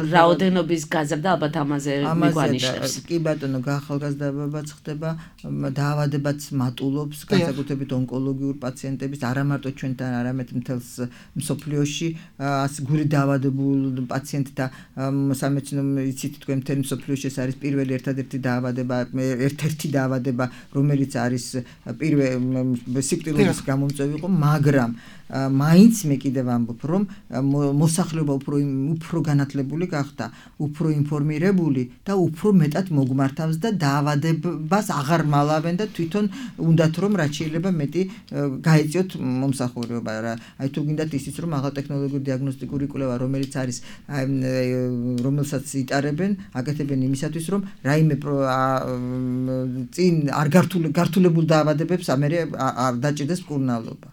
Speaker 2: რაოდენობის გაზრდა ალბათ ამაზე მიგვანიშნებს.
Speaker 4: კი ბატონო, გაახალგაზრდავებაც ხდება, დაავადებაც მატულობს, განსაკუთრებით ონკოლოგიურ პაციენტების, არა მარტო ჩვენთან, არამედ მთელს მსოფლიოში, გული დაავადებულ პაციენტთა სამედიცინო იცით თქვენ მთელ მსოფლიოში ეს არის პირველი ერთადერთი დაავადება, ერთ-ერთი დაავადება, რომელიც არის პირველი სიკვდილების გამომწვევი იყო, მაგრამ მაინც მე კიდევ ამბობ, რომ მოსახლეობა უფრო უფრო განათლებული გახდა, უფრო ინფორმირებული და უფრო მეტად მოგმართავს და დაავადებას აღარ მალავენ და თვითონ უნდათ რომ რაც შეიძლება მეტი გაეწიოთ მომსახურება. აი თუ გინდათ ისიც რომ აღალტექნოლოგიური დიაგნოსტიკური კვლევა, რომელიც არის რომელსაც იტარებენ, აკეთებენ იმისათვის, რომ რაიმე წინ არ გართულებულ დაავადებებს ამერე არ დაჭირდეს მკურნალობა.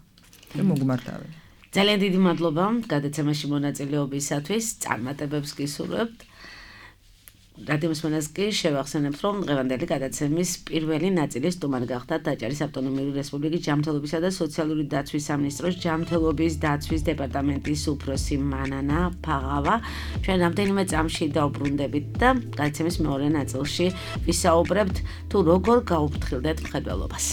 Speaker 4: და მოგმართავენ.
Speaker 2: ძალიან დიდი მადლობა გადაცემაში მონაწილეობისათვის, წარმატებებს გისურვებთ. რადიომსმენელს კი შევახსენებთ, რომ დღევანდელი გადაცემის პირველი ნაწილის სტუმარი გახდა დაჭერის ავტონომიური რესპუბლიკის ჯანმრთელობისა და სოციალური დაცვის სამინისტროს ჯანმრთელობის დაცვის დეპარტამენტის უფროსი მანანა ფაღავა. ჩვენ რამდენიმე წამში დავბრუნდებით და გადაცემის მეორე ნაწილში ვისაუბრებთ თუ როგორ გაუფრთხილდეთ მხედველობას.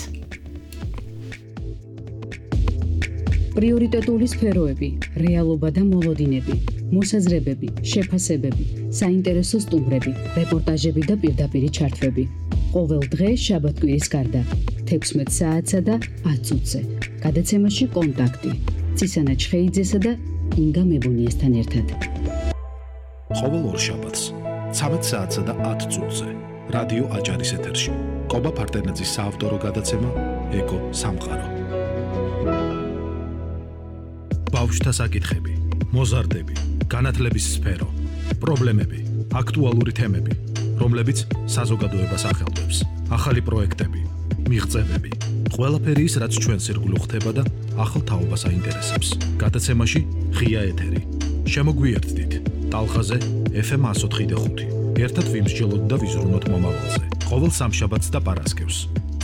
Speaker 1: პრიორიტეტული სფეროები, რეალობა და მოლოდინები, მოსაზრებები, შეფასებები, საინტერესო სტუმრები, რეპორტაჟები და პირდაპირი ჩართვები. ყოველ დღე შაბათ-კვირის გარდა, თექვსმეტ საათსა და ათ წუთზე. გადაცემაში კონტაქტი. ცისანა ჩხეიძესა და ინგა მებუნიესთან ერთად.
Speaker 5: ყოველ ორ შაბათს, ცამეტ საათსა და ათ წუთზე. რადიო აჭარის ეთერში. ყობა ფარტენაძის საავტორო გადაცემა ეკო სამყარო. ბავშვთა საკითხები, მოზარდები, განათლების სფერო, პრობლემები, აქტუალური თემები, რომლებიც საზოგადოებას ახელვებს, ახალი პროექტები, მიღწევები, ყველაფერი ის, რაც ჩვენს ირგვლივ ხდება და ახალ თაობას აინტერესებს. გადაცემაში ღია ეთერი. შემოგვიერთდით ტალღაზე ეფ ემ εκατო ოთხი და ხუთი. ერთად ვიმსჯელოთ და ვიზრუნოთ მომავალზე. ყოველ სამშაბათს და პარასკევს,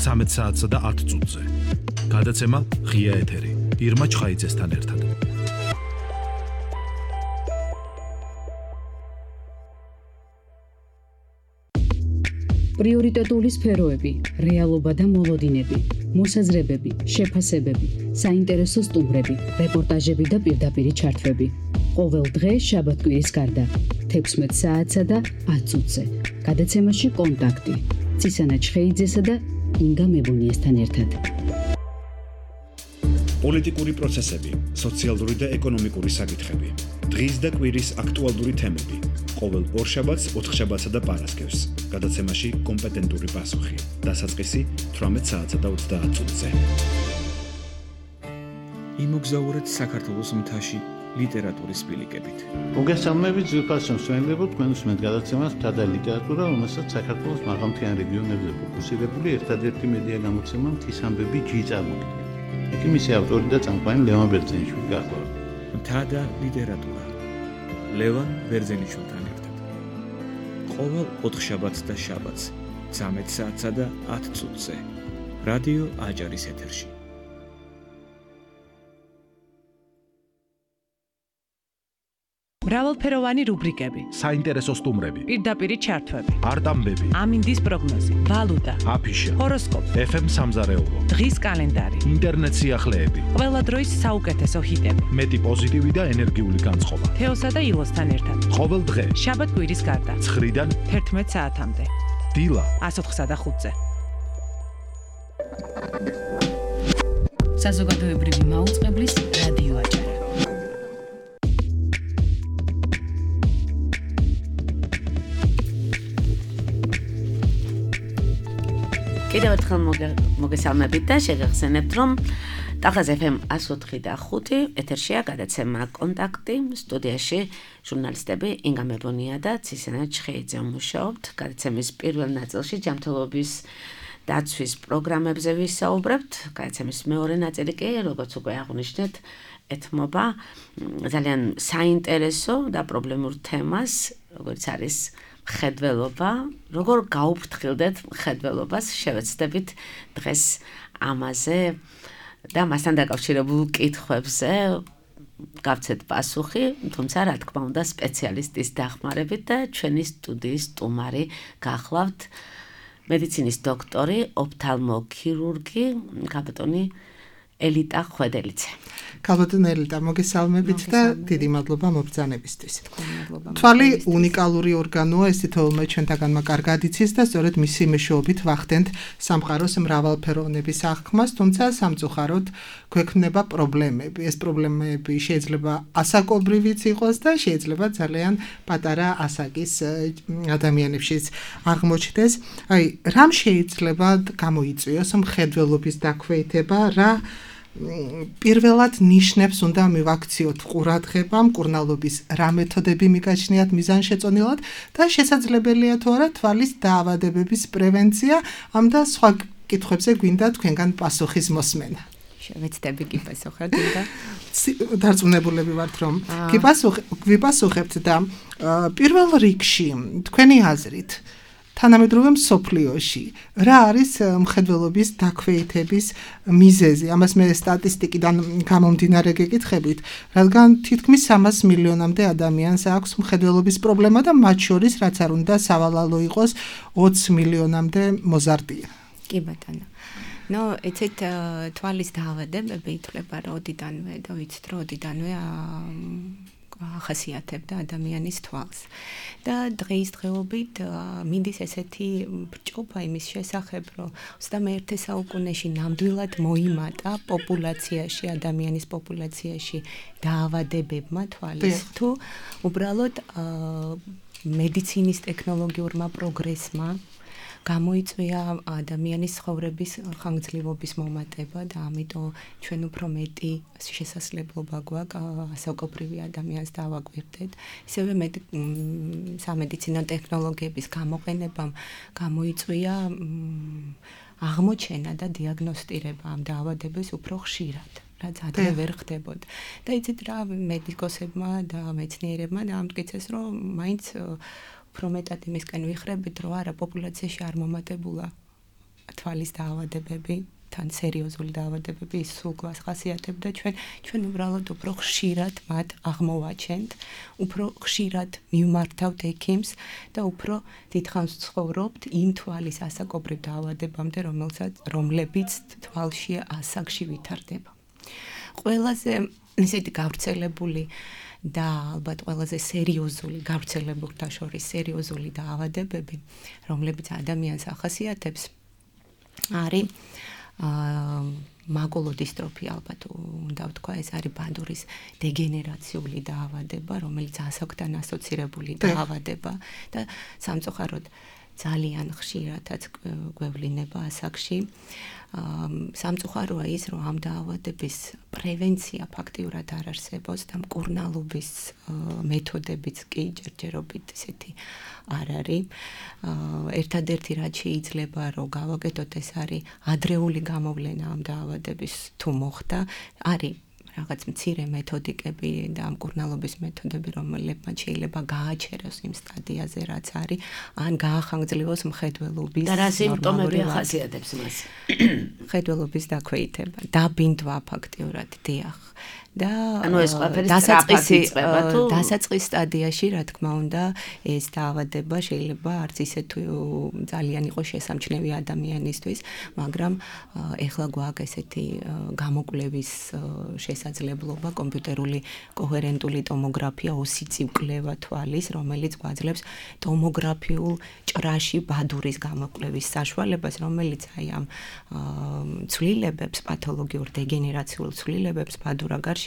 Speaker 5: ცამეტ საათსა და ათ წუთზე. გადაცემა ღია ეთერი. ირმა ჩხაიძესთან ერთად.
Speaker 1: პრიორიტეტული სფეროები, რეალობა და მოლოდინები, მოსაზრებები, შეფასებები, საინტერესო სტუმრები, რეპორტაჟები და პირდაპირი ჩართვები. ყოველ დღე შაბათ-კვირის გარდა, თექვსმეტ საათსა და ათ წუთზე. გადაცემაში კონტაქტი. ცისანა ჩხეიძესა და ინგა მებუნიესთან ერთად.
Speaker 6: პოლიტიკური პროცესები, სოციალური და ეკონომიკური საკითხები, დღის და კვირის აქტუალური თემები. ყოველ ორშაბათს, ოთხშაბათსა და პარასკევს. გადაცემაში კომპეტენტური პასუხი. დასაწყისი თვრამეტ საათსა და ოცდაათ წუთზე.
Speaker 7: იმოგზაურეთ საქართველოს მთაში ლიტერატურის სპილიკებით.
Speaker 8: მოგესალმებით ძვირფასო მსმენელებო, თქვენ უსმენთ გადაცემას მთა და ლიტერატურა, რომელსაც საქართველოს მაღალმთიან რეგიონებზე ფოკუსირებული ერთადერთი მედია გამოცემა მთის ამბები ჯი წარმოგიდგენთ. იქ მისი ავტორი და წამყვანი ლევან ბერძენიშვილი გახლავთ.
Speaker 7: მთა და ლიტერატურა. ლევან ბერძენიშვილთან ერთად. ყოველ ოთხშაბათს და შაბათს, ცამეტ საათსა და ათ წუთზე. რადიო აჭარის ეთერში.
Speaker 9: მრავალფეროვანი რუბრიკები,
Speaker 5: საინტერესო სტუმრები,
Speaker 9: პირდაპირი ჩართვები,
Speaker 5: არტამბები,
Speaker 9: ამინდის პროგნოზი, ვალუტა,
Speaker 5: აფიშა,
Speaker 9: ჰოროსკოპი,
Speaker 5: ეფ ემ სამზარეულო,
Speaker 9: დღის კალენდარი,
Speaker 5: ინტერნეტ სიახლეები,
Speaker 9: ყველა დროის საუკეთესო ჰიტები,
Speaker 5: მეტი პოზიტივი და ენერგიული განწყობა.
Speaker 9: თეოსა და ილოსთან ერთად.
Speaker 5: ყოველ დღე,
Speaker 9: შაბათ-კვირის გარდა,
Speaker 5: ცხრიდან
Speaker 9: თერთმეტ საათამდე.
Speaker 5: დილა
Speaker 9: ას ოთხსა და ხუთზე. საზოგადოებრივი მაუწყებლის რადიო აჭარა.
Speaker 2: კიდევ ერთხელ მოგესალმებით და შეგახსენებთ, რომ ტალღაზე ეფ ემ εκατო ოთხი და ხუთი ეთერშია გადაცემა კონტაქტი. სტუდიაში ჟურნალისტები ინგა მებონია და ცისანა ჩხეიძე მუშაობთ. გადაცემის პირველ ნაწილში ჯანმრთელობის დაცვის პროგრამებზე ვისაუბრებთ. გადაცემის მეორე ნაწილი კი, როგორც უკვე აღვნიშნეთ, ეთმობა ძალიან საინტერესო და პრობლემურ თემას, როგორც არის მხედველობა, როგორ გაუფრთხილდეთ მხედველობას, შევეცდებით დღეს ამაზე და მასთან დაკავშირებულ კითხვებზე გავცეთ პასუხი, თუმცა რა თქმა უნდა სპეციალისტის დახმარებით და ჩვენი სტუდიის სტუმარი გახლავთ მედიცინის დოქტორი, ოფთალმოქირურგი, კაპიტანი ელიტა ხვედელიძე.
Speaker 3: კაპიტანი ელიტა, მოგესალმებით და დიდი მადლობა მობრძანებისთვის. თვალი უნიკალური ორგანოა, ეს თითოეულმა ჩვენთაგანმა კარგად იცის და სწორედ მისი მეშვეობით ვახდენთ სამყაროს მრავალფეროვნების აღქმას, თუმცა სამწუხაროდ გვექმნება პრობლემები. ეს პრობლემები შეიძლება ასაკობრივიც იყოს და შეიძლება ძალიან პატარა ასაკის ადამიანებშიც აღმოჩნდეს. აი, რამ შეიძლება გამოიწვიოს მხედველობის დაქვეითება, რა პირველად ნიშნებს უნდა მივაქციოთ ყურადღება, მკურნალობის რა მეთოდები მიგაჩნიათ მიზანშეწონილად და შესაძლებელია თუ არა თვალის დაავადებების პრევენცია, ამ და სხვა კითხვებზე გვინდა თქვენგან პასუხის მოსმენა.
Speaker 10: შევეცდები კი პასუხად და
Speaker 3: დარწმუნებულები ვართ რომ გიპასუხებთ და პირველ რიგში თქვენი აზრით თანამედროვე მსოფლიოში რა არის მხედველობის დაქვეითების მიზეზი? ამას მე სტატისტიკიდან გამომდინარე გეკითხებით, რადგან თითქმის სამას მილიონამდე ადამიანს აქვს მხედველობის პრობლემა და მათ შორის რაც არ უნდა სავალალო იყოს ოცი მილიონამდე მოზარდია.
Speaker 10: კი ბატონო. ნუ ეცეთ თვალის დაავადებები ითვლება როდიდანვე და ვიცით როდიდანვე ახასიათებდა ადამიანის თვალს. და დღეისდღეობით მინდის ესეთი ბრჭყობა იმის შესახებ, რომ ოცდამეერთე საუკუნეში ნამდვილად მოიმატა პოპულაციაში, ადამიანის პოპულაციაში დაავადებებმა თვალის თუ უბრალოდ მედიცინის ტექნოლოგიურმა პროგრესმა გამოიწვია ადამიანის ცხოვრების ხანგრძლივობის მომატება და ამიტომ ჩვენ უფრო მეტი შესაძლებლობა გვაქვს ასაკობრივი ადამიანს დავაკვირდეთ. ისევე სამედიცინო ტექნოლოგიების გამოყენებამ გამოიწვია აღმოჩენა და დიაგნოსტირება ამ დაავადების უფრო ხშირად. რაც ადრე ვერ ხდებოდა. და იცით რა მედიკოსებმა და მეცნიერებმა დაამტკიცეს, რომ მაინც უფრო მეტად იმისკენ ვიხრებით, რომ არა პოპულაციაში არ მომატებულა თვალის დაავადებები, თან სერიოზული დაავადებები, ის სულ გვას ხასიათებდა ჩვენ, ჩვენ უბრალოდ უფრო ხშირად მათ აღმოვაჩენთ, უფრო ხშირად მივმართავთ ექიმს და უფრო დიდხანს ცხოვრობთ იმ თვალის ასაკობრივ დაავადებამდე, რომელსაც რომლებიც თვალში ასაკში ვითარდება. ყველაზე ისეთი გავრცელებული და ალბათ ყველაზე სერიოზული გავრცელებულთა შორის სერიოზული დაავადებები, რომლებიც ადამიანს ახასიათებს, არის მაგულოდისტროფია, ალბათ უნდა ვთქვა, ეს არის ბადურის დეგენერაციული დაავადება, რომელიც ასაკთან ასოცირებული დაავადება და სამწუხაროდ ძალიან ხშირადაც გვევლინება ასაკში. სამწუხაროა ის, რომ ამ დაავადების პრევენცია ფაქტიურად არ არსებობს და მკურნალობის მეთოდებიც კი ჯერჯერობით ისეთი არ არის. ერთადერთი რაც შეიძლება რომ გავაკეთოთ, ეს არის ადრეული გამოვლენა ამ დაავადების თუ მოხდა, არის რაღაც მცირე მეთოდიკები და მკურნალობის მეთოდები, რომლებმაც შეიძლება გააჩეროს იმ სტადიაზე, რაც არის, ან გაახანგრძლივოს მხედველობის.
Speaker 2: და რა სიმპტომები ახასიათებს მას?
Speaker 10: მხედველობის დაქვეითება, დაბინდვა ფაქტიურად, დიახ. და
Speaker 2: ანუ ეს ყველაფერი სწრაფად იწყება თუ
Speaker 10: დასაწყის სტადიაში, რა თქმა უნდა, ეს დაავადება შეიძლება არც ისე თუ ძალიან იყოს შესამჩნევი ადამიანისთვის, მაგრამ ეხლა გვაქვს ესეთი გამოკვლევის შესაძლებლობა, კომპიუტერული კოჰერენტული ტომოგრაფია, ოსი კვლევა თვალის, რომელიც გვაძლევს ტომოგრაფიულ ჭრაში ბადურის გამოკვლევის საშუალებას, რომელიც აი ამ ცვლილებებს, პათოლოგიურ დეგენერაციულ ცვლილებებს ბადურაგარში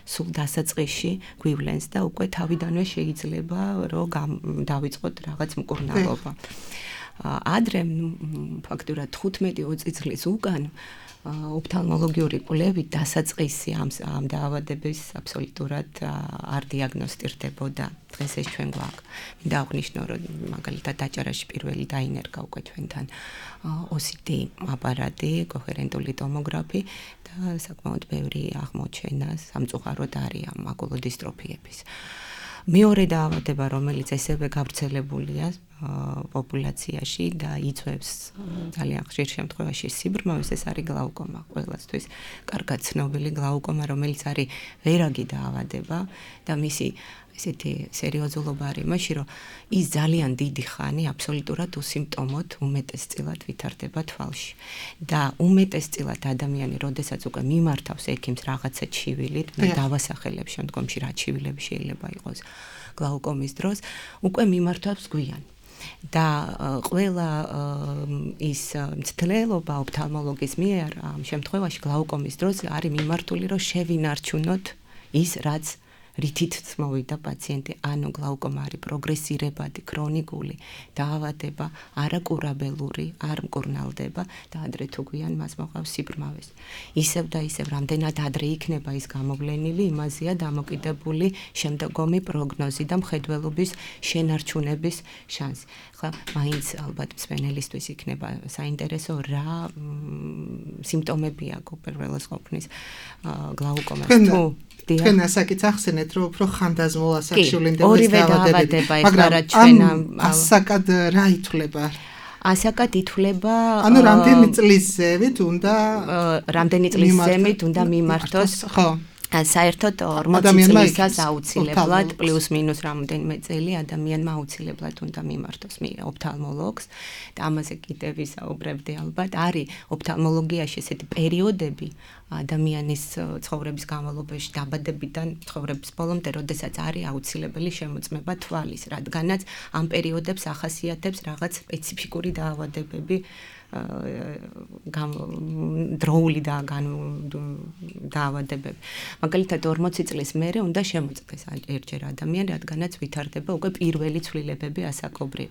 Speaker 10: სულ დასაწყისში გვივლენს და უკვე თავიდანვე შეიძლება რომ დავიწყოთ რაღაც მკურნალობა. ადრე ფაქტურად თხუთმეტი ოცი წლის უკან ოფთალმოლოგიური კვლევით დასაწყისი ამ ამ დაავადების აბსოლუტურად არ დიაგნოსტირდებოდა. დღეს ეს ჩვენ გვაქვს. მინდა აღნიშნო, რომ მაგალითად დაჭარაში პირველი დაინერგა უკვე ჩვენთან ოსი დი აპარატი, კოჰერენტული ტომოგრაფი და საკმაოდ ბევრი აღმოჩენა სამწუხაროდ არის ამ მაგულოდისტროფიების. მეორე დაავადება, რომელიც ესევე გავრცელებულია პოპულაციაში და იწვევს ძალიან ხშირ შემთხვევაში სიბრმავეს, ეს არის გლაუკომა. ყველასთვის კარგად ცნობილი გლაუკომა, რომელიც არის ვერაგი დაავადება და მისი ესეთი სერიოზულობა არის იმაში, რომ ის ძალიან დიდი ხანი აბსოლუტურად უსიმპტომოდ უმეტესწილად ვითარდება თვალში. და უმეტესწილად ადამიანი, როდესაც უკვე მიმართავს ექიმს რაღაცა ჩივილით, მე დავასახელებ შემდგომში რა ჩივილები შეიძლება იყოს გლაუკომის დროს, უკვე მიმართავს გვიან. და ყველა ის მცდელობა ოფთალმოლოგის მიერ ამ შემთხვევაში გლაუკომის დროს არის მიმართული, რომ შევინარჩუნოთ ის, რაც რითიც მოვიდა პაციენტი, ანუ გლაუკომა არის პროგრესირებადი, ქრონიკული დაავადება, არაკურაბელური, არ მკურნალდება და ადრე თუ გვიან მას მოყავს სიბრმავეს. ისევ და ისევ რამდენად ადრე იქნება ის გამოვლენილი, იმაზეა დამოკიდებული შემდგომი პროგნოზი და მხედველობის შენარჩუნების შანსი. ხა, მაინც ალბათ მსმენელისთვის იქნება საინტერესო რა სიმპტომები აქვს პირველად ყოფნის გლაუკომას თუ
Speaker 3: თქვენ ასაკიც ახსენეთ, რომ უფრო ხანდაზმულ ასაკში ვლინდება
Speaker 10: დაავადება, მაგრამ
Speaker 3: ასაკად რა ითვლება?
Speaker 10: ასაკად ითვლება
Speaker 3: ანუ რამდენი წლის ზევით უნდა
Speaker 10: რამდენი წლის ზევით უნდა მიმართოს
Speaker 3: ხო
Speaker 10: საერთოდ ორმოცი წლისას აუცილებლად პლუს მინუს რამდენიმე წელი ადამიანმა აუცილებლად უნდა მიმართოს ოფთალმოლოგს და ამაზე კიდევ ვისაუბრებდი ალბათ არის ოფთალმოლოგიაში ესეთი პერიოდები ადამიანის ცხოვრების განმავლობაში დაბადებიდან ცხოვრების ბოლომდე, როდესაც არის აუცილებელი შემოწმება თვალის, რადგანაც ამ პერიოდებს ახასიათებს რაღაც სპეციფიკური დაავადებები დროული და დაავადებები. მაგალითად ორმოცი წლის მერე უნდა შემოწმდეს ერთჯერ ადამიანი, რადგანაც ვითარდება უკვე პირველი ცვლილებები ასაკობრივ.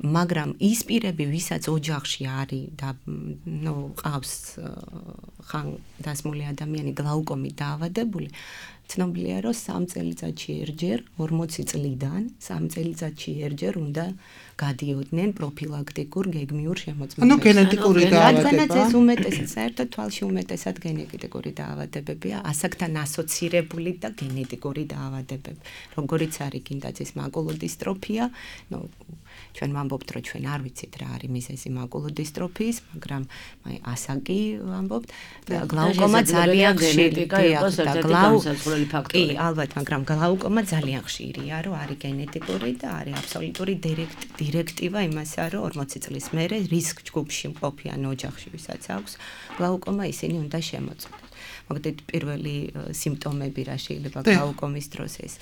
Speaker 10: მაგრამ ის პირები, ვისაც ოჯახში არის და ნუ ყავს ხან დასმული ადამიანი გლაუკომით დაავადებული, ცნობილია, რომ სამ წელიწადში ერთჯერ, ორმოცი წლიდან სამ წელიწადში ერთჯერ უნდა გადიოდნენ პროფილაქტიკურ გეგმიურ შემოწმებებს.
Speaker 3: ანუ გენეტიკური დაავადება.
Speaker 10: რადგანაც ეს უმეტესად საერთოდ თვალში უმეტესად გენეტიკური დაავადებებია, ასაკთან ასოცირებული და გენეტიკური დაავადებები. როგორიც არის კიდაც მაკულოდისტროფია, ნუ ჩვენ ვამბობთ, რომ ჩვენ არ ვიცით რა არის მიზეზი მაკულოდისტროფიის, მაგრამ აი ასაკი ვამბობთ და გლაუკომა ძალიან ხშირია და
Speaker 2: გლაუკომայի ფაქტორი.
Speaker 10: კი, ალბათ, მაგრამ გლაუკომა ძალიან ხშირია, რომ არის გენეტიკური და არის აბსოლუტური დირექტივა იმასა, რომ ორმოცი წლის მერე რისკ ჯგუფში მყოფიან ოჯახში, ვისაც აქვს გლაუკომა, ისინი უნდა შემოწმდეს. მოგდეთ პირველი სიმპტომები რა შეიძლება გლაუკომის დროს ეს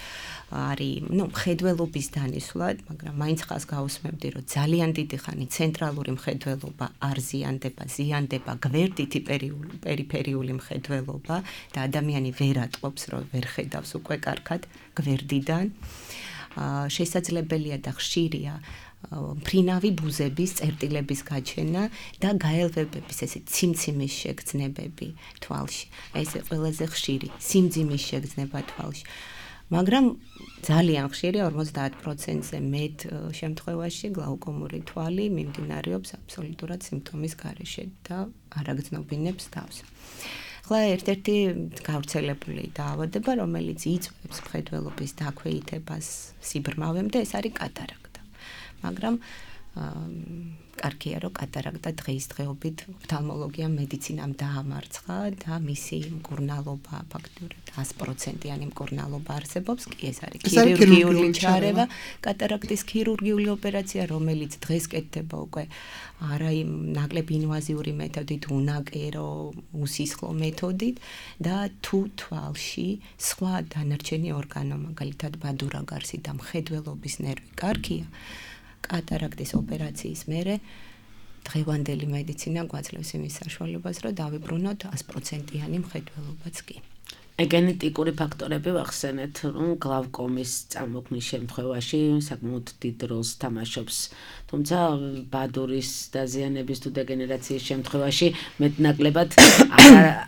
Speaker 10: არის, ნუ მხედველობის დანისვლა, მაგრამ მაინც ხას გავუსმებდი, რომ ძალიან დიდი ხანი ცენტრალური მხედველობა არ ზიანდება, ზიანდება გვერდითი პერიფერიული მხედველობა და ადამიანი ვერ ატყობს, რომ ვერ ხედავს უკვე კარგად გვერდიდან. შესაძლებელია და ხშირია ფრინავი ბუზების წერტილების გაჩენა და გაელვებების ესე ციმციმის შეგრძნებები თვალში. ეს ყველაზე ხშირი სიმძიმის შეგრძნება თვალში. მაგრამ ძალიან ხშირია ორმოცდაათ პროცენტზე მეტ შემთხვევაში გლაუკომური თვალი მიმდინარეობს აბსოლუტურად სიმპტომის გარეშე და არ აგრძნობინებს თავს. ახლა ერთ-ერთი გავრცელებული დაავადება, რომელიც იწვევს მხედველობის დაქვეითებას სიბრმავემდე, ეს არის კატარაქტა. მაგრამ კარგია, რომ კატარაქტა დღეისდღეობით ოფთალმოლოგიამ მედიცინამ დაამარცხა და მისი მკურნალობა ფაქტურად ას პროცენტიანი მკურნალობა არსებობს. კი, ეს არის ქირურგიული ჩარევა, კატარაქტის ქირურგიული ოპერაცია, რომელიც დღეს კეთდება უკვე არა იმ ნაკლებ ინვაზიური მეთოდით, უნაკერო, უსისხლო მეთოდით და თუ თვალში სხვა დანარჩენი ორგანო, მაგალითად ბადურაგარსი და მხედველობის ნერვი კარგია, კატარაქტის ოპერაციის მერე დღევანდელი მედიცინა გვაძლევს იმის საშუალებას, რომ დავიბრუნოთ ას პროცენტიანი მხედველობაც კი.
Speaker 2: გენეტიკური ფაქტორები ვახსენეთ, რომ გლაუკომის წარმოქმნის შემთხვევაში საკმაოდ დიდ როლს თამაშობს. თუმცა ბადურის დაზიანების თუ დეგენერაციის შემთხვევაში მეტნაკლებად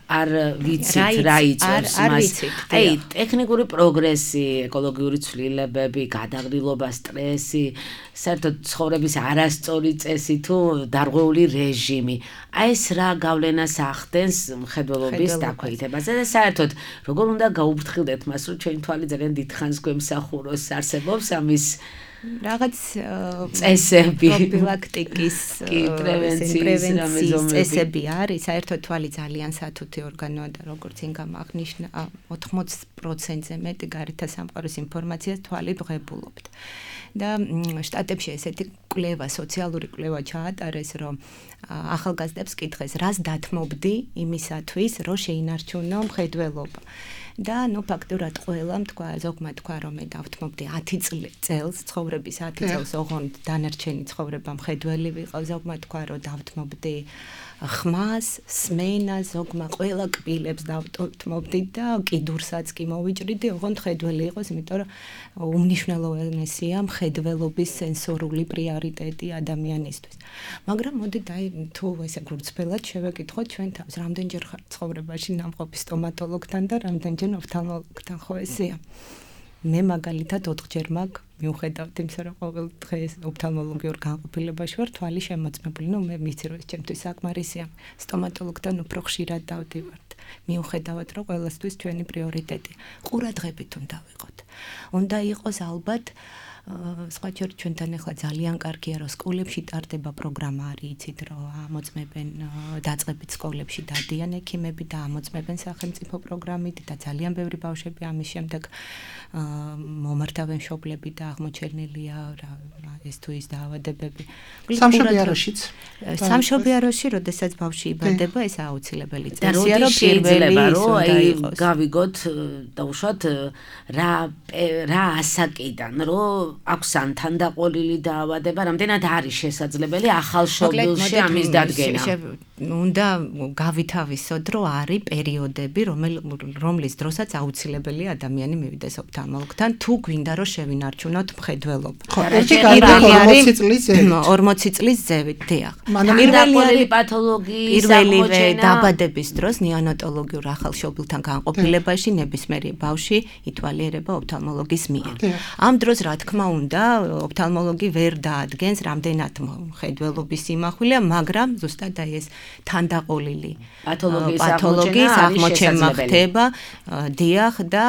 Speaker 2: არ ვიცით რა იწვევს მას. აი, ტექნიკური პროგრესი, ეკოლოგიური ცვლილებები, გადაღრილობა, სტრესი, საერთოდ ცხოვრების არასწორი წესი თუ დარღვეული რეჟიმი. აი ეს რა გავლენას ახდენს მხედველობის დაქვეითებაზე და საერთოდ როგორ უნდა გაუფრთხილდეთ მას, რომ ჩვენი თვალი ძალიან დიდხანს გვემსახუროს, არსებობს ამის
Speaker 10: რაღაც
Speaker 2: წესები,
Speaker 10: პროფილაქტიკის, პრევენციის წესები არის. საერთოდ თვალი ძალიან სათუთი ორგანოა და როგორც წინ გამახნიშნა, ოთხმოცი პროცენტზე მეტი გარეთ სამყაროს ინფორმაციას თვალი ვღებულობთ. და შტატებში ესეთი კვლევა, სოციალური კვლევა ჩაატარეს, რომ ახალგაზრდებს კითხეს, რას დათმობდი იმისათვის, რომ შეინარჩუნო მხედველობა. და ნუ ფაქტურად ყველამ თქვა, ზოგმა თქვა, რომ მე დავთმობდი ათი წელს, ცხოვრების ათი წელს, ოღონდ დანარჩენი ცხოვრება მხედველი ვიყო, ზოგმა თქვა, რომ დავთმობდი ხმას, სმენას, ზოგმა ყველა კბილებს დავთმობდი და კიდურსაც კი მოვიჭრიდი, ოღონდ მხედველი იყოს, იმიტომ რომ უმნიშვნელოვანესია მხედველობის სენსორული პრიორიტეტი ადამიანისთვის. მაგრამ მოდით აი თუ ესე გულწრფელად შევეკითხოთ ჩვენ თავს, რამდენჯერ ხარ ცხოვრებაში ნამყოფი სტომატოლოგთან და რამდენჯერ ოფთალმოლოგთან, ხო ესეა. მე მაგალითად ოთხჯერ მაქვს მიუხედავად იმისა, რომ ყოველ დღეს ოფთალმოლოგიურ განყოფილებაში ვარ, თვალი შემოწმებული. ნუ მე ვიცი, რომ ეს ჩემთვის საკმარისია. სტომატოლოგთან უფრო ხშირად დავდივართ. მიუხედავად, რომ ყველასთვის ჩვენი პრიორიტეტი ყურადღებით უნდა ვიყოთ. უნდა იყოს ალბათ სხვა ჯერ ჩვენთან ახლა ძალიან კარგია, რომ სკოლებში ტარდება პროგრამა, არის იცით, რომ ამოწმებენ დაწყებით სკოლებში დადიან ექიმები და ამოწმებენ სახელმწიფო პროგრამით და ძალიან ბევრი ბავშვები ამის შემდეგ მომართავენ მშობლები და აღმოჩენილია ეს თუ ის დაავადებები.
Speaker 3: სამშობიაროშიც.
Speaker 10: სამშობიაროში, როდესაც ბავშვი იბადება, ეს აუცილებელი
Speaker 2: წესია, რომ პირველი რომ აი გავიგოთ და უშუალოდ რა რა ასაკიდან რომ აქვს ან თანდაყოლილი დაავადება, რამდენად არის შესაძლებელი ახალ შობილში ამის დადგენა.
Speaker 10: უნდა გავითავისოთ, რომ არის პერიოდები, რომლის დროსაც აუცილებელი ადამიანი მივიდეს ოფთალმოლოგთან, თუ გვინდა რომ შევინარჩუნოთ მხედველობა.
Speaker 3: ხო, ერთი ორმოცი წლის ზევით.
Speaker 10: ორმოცი წლის ზევით, დიახ.
Speaker 2: პირველი პათოლოგიის
Speaker 10: პირველივე დაბადების დროს ნეონატოლოგიურ ახალ შობილთან განყოფილებაში ნებისმიერი ბავშვი ითვალიერება ოფთალმოლოგის მიერ. ამ დროს რა თქმა უნდა, ოფთალმოლოგი ვერ დაადგენს რამდენად მხედველობის სიმახვილეა, მაგრამ ზუსტად აი ეს თანდაყოლილი პათოლოგიის აღმოჩენა ხდება, დიახ და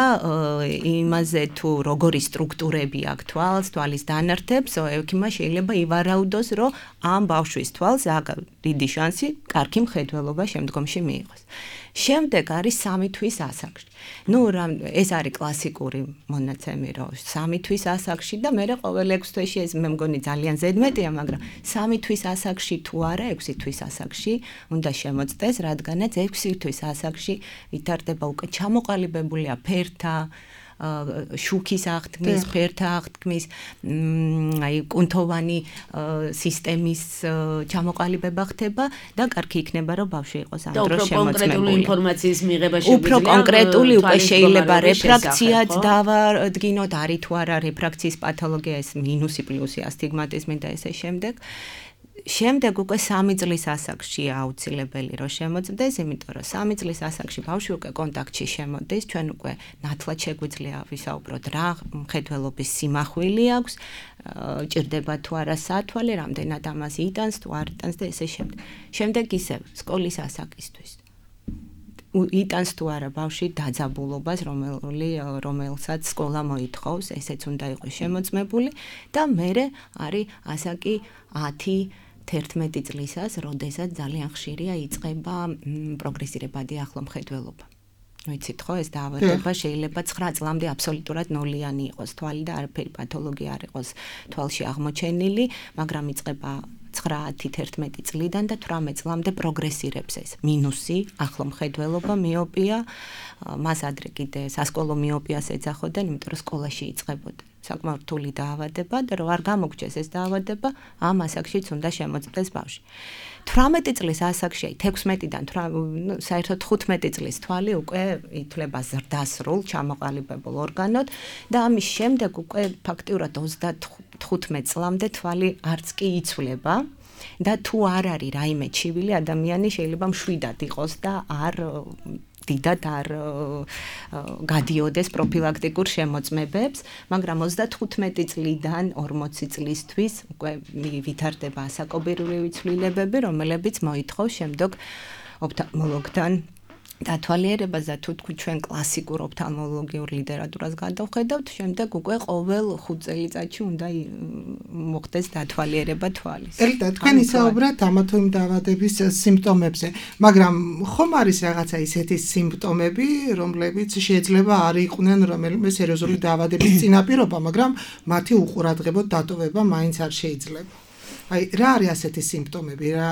Speaker 10: იმაზე თუ როგორი სტრუქტურები აქვს თვალს, თვალის დანართებს, ექიმა შეიძლება ივარაუდოს, რომ ამ ბავშვის თვალს აქვს დიდი შანსი კარგი მხედველობა შემდგომში მიიღოს. შემდეგ არის სამი თვის ასაკში. ნუ ეს არის კლასიკური მონაცემი, რომ სამი თვის ასაკში და მე ყოველ ექვსი თვეში ეს მე მგონი ძალიან ზედმეტია, მაგრამ სამი თვის ასაკში თუ არა, ექვსი თვის ასაკში უნდა შემოწდეს, რადგანაც ექვსი თვის ასაკში ვითარდება უკვე ჩამოყალიბებულია ფერთა შუქის აღთქმის, ფერთა აღთქმის, აი კუნთოვანი სისტემის ჩამოყალიბება ხდება და კარგი იქნება, რომ ბავშვი იყოს ამ დროს შემოწმებული.
Speaker 2: და უფრო კონკრეტული ინფორმაციის მიღება შეგვიძლია.
Speaker 10: უფრო კონკრეტული უკვე შეიძლება რეფრაქციაც დავადგინოთ, არის თუ არა რეფრაქციის პათოლოგია, ეს მინუსი, პლუსი, ასტიგმატიზმი და ესე შემდეგ. შემდეგ უკვე სამი წლის ასაკშია აუცილებელი რომ შემოწმდეს, იმიტომ რომ სამი წლის ასაკში ბავშვი უკვე კონტაქტში შემოდის, ჩვენ უკვე ნათლად შეგვიძლია ვისაუბროთ რა მხედველობის სიმახვილი აქვს, ჭირდება თუ არა სათვალე, რამდენად ამას იტანს, თუ არ იტანს და ესე შემდეგ. შემდეგ ისევ სკოლის ასაკისთვის. იტანს თუ არა ბავშვი დაძაბულობას, რომელსაც სკოლა მოითხოვს, ესეც უნდა იყოს შემოწმებული და მერე არის ასაკი ათი თერთმეტი წლისას, როდესაც ძალიან ხშირია იწყება პროგრესირებადი ახლო მხედველობა. ვიცით ხო, ეს დაავადება შეიძლება ცხრა წლამდე აბსოლუტურად ნოლიანი იყოს თვალი და არაფერი პათოლოგია არ იყოს თვალში აღმოჩენილი, მაგრამ იწყება ცხრა ათი თერთმეტი წლიდან და თვრამეტ წლამდე პროგრესირებს ეს მინუსი, ახლო მხედველობა, მიოპია, მას ადრე კიდე სასკოლო მიოპიას ეძახოდნენ, იმიტომ რომ სკოლაში იწყებოდა საკმაოდ რთული დაავადება და რომ არ გამოგჩეს ეს დაავადება, ამ ასაკშიც უნდა შემოწმდეს ბავშვი. თვრამეტი წლის ასაკში, აი თექვსმეტიდან საერთოდ თხუთმეტი წლის თვალი უკვე ითვლება ზრდასრულ, ჩამოყალიბებულ ორგანოდ და ამის შემდეგ უკვე ფაქტიურად ოცდათხუთმეტ წლამდე თვალი არც კი იცვლება და თუ არ არის რაიმე ჩივილი, ადამიანი შეიძლება მშვიდად იყოს და არ დიდად არ გადიოდეს პროფილაქტიკურ შემოწმებებს, მაგრამ ოცდათხუთმეტი წლიდან ორმოცი წლისთვის უკვე ვითარდება ასაკობრივი ცვლილებები, რომლებიც მოითხოვს შემდეგ ოფთალმოლოგთან დათვალიერებას და თუ თქვი ჩვენ კლასიკურ ოფთალმოლოგიურ ლიტერატურას გადავხედავთ, შემდეგ უკვე ყოველ ხუთ წელიწადში უნდა მოხდეს დათვალიერება თვალის.
Speaker 3: ელიტა, თქვენ ისაუბრეთ ამა თუ იმ დაავადების სიმპტომებზე, მაგრამ ხომ არის რაღაცა ისეთი სიმპტომები, რომლებიც შეიძლება არ იყვნენ რომელიმე სერიოზული დაავადების წინაპირობა, მაგრამ მათი უყურადღებოდ დატოვება მაინც არ შეიძლება. აი რა არის ასეთი სიმპტომები, რა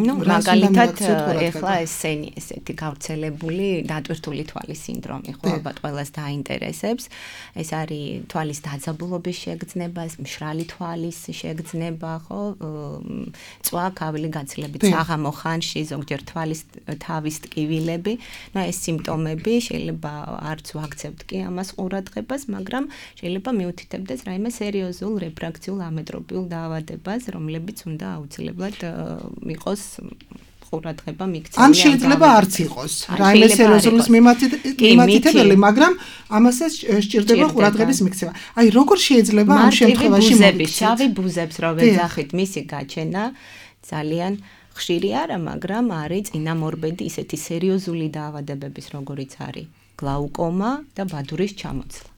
Speaker 10: ნუ მაგალითად ეხლა ესენი ესეთი გავრცელებული დატვირთული თვალის სინდრომი ხო ალბათ ყველას დაინტერესებს. ეს არის თვალის დაძაბულობის შეგრძნება, მშრალი თვალის შეგრძნება, ხო, წვა, ქავილი გაცილებით საღამო ხანში, ზოგჯერ თვალის თავის ტკივილები. ნუ ეს სიმპტომები შეიძლება არც ვაქცევთ კი ამას ყურადღებას, მაგრამ შეიძლება მიუთითებდეს რაიმე სერიოზულ რეფრაქციულ ამეტროპიულ დაავადებას, რომლებიც უნდა აუცილებლად იყოს ყურადღება მიქცეულია.
Speaker 3: ან შეიძლება არც იყოს რაიმე სერიოზული მიმართители, მაგრამ ამასაც სჭირდება ყურადღების მიქცევა. აი, როგორ შეიძლება ამ შემთხვევაში
Speaker 10: მოგიქცეთ? შავი ბუზებს რო ვეძახით, მისი გაჩენა ძალიან ხშირი არა, მაგრამ არის წინამორბედი ისეთი სერიოზული დაავადებების, როგორიც არის გლაუკომა და ბადურის ჩამოცლა.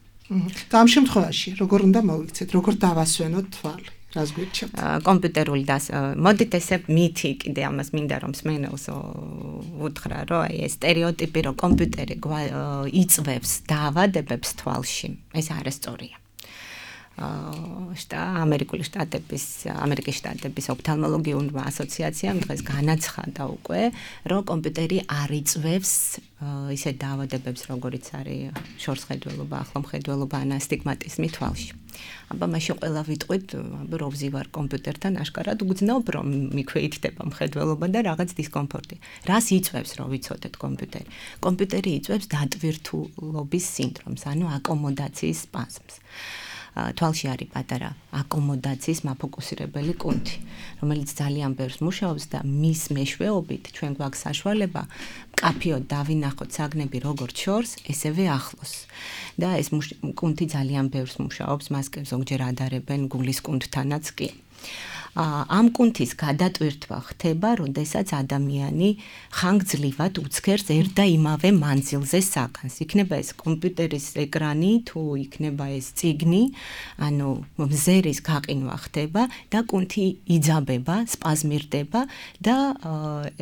Speaker 3: და ამ შემთხვევაში როგორ უნდა მოვიქცეთ, როგორ დავასვენოთ თვალი? რას გვირჩევთ?
Speaker 10: კომპიუტერული და მოდით ესე მითი კიდე ამას მინდა რომ მსმენელს უთხრა, რომ აი ეს სტერეოტიპი, რომ კომპიუტერი იწვევს დაავადებებს თვალში, ეს არასწორია. შტა ამერიკული შტატების ამერიკის შტატების ოფთალმოლოგიურმა ასოციაციამ დღეს განაცხადა უკვე, რომ კომპიუტერი არ იწვევს ისეთ დაავადებებს, როგორიც არის შორსხედველობა, ახლომხედველობა, ან ასტიგმატიზმი თვალში. აბა მაშინ ყველა ვიტყვით, რო ვზივარ კომპიუტერთან, აშკარად უგზნობ, რომ მიქვეითდება მხედველობა და რაღაც დისკომფორტი. რას იწვევს, რომ ვიცოდეთ კომპიუტერი? კომპიუტერი იწვევს დატვირთულობის სინდრომს, ანუ აკომოდაციის სპაზმს. თვალში არის პატარა აკომოდაციის მაფოკუსირებელი კუნთი, რომელიც ძალიან ბევრს მუშაობს და მის მეშვეობით ჩვენ გვაქვს საშუალება მკაფიოდ დავინახოთ საგნები როგორც შორს, ესევე ახლოს. და ეს კუნთი ძალიან ბევრს მუშაობს, მას ზოგჯერ ადარებენ გულის კუნთთანაც კი. ამ კუნთის გადატვირთვა ხდება, როდესაც ადამიანი ხანგრძლივად უცქერს ერთ და იმავე მანძილზე საგანს. იქნება ეს კომპიუტერის ეკრანი, თუ იქნება ეს წიგნი, ანუ მზერის გაყინვა ხდება და კუნთი იძაბება, სპაზმირდება და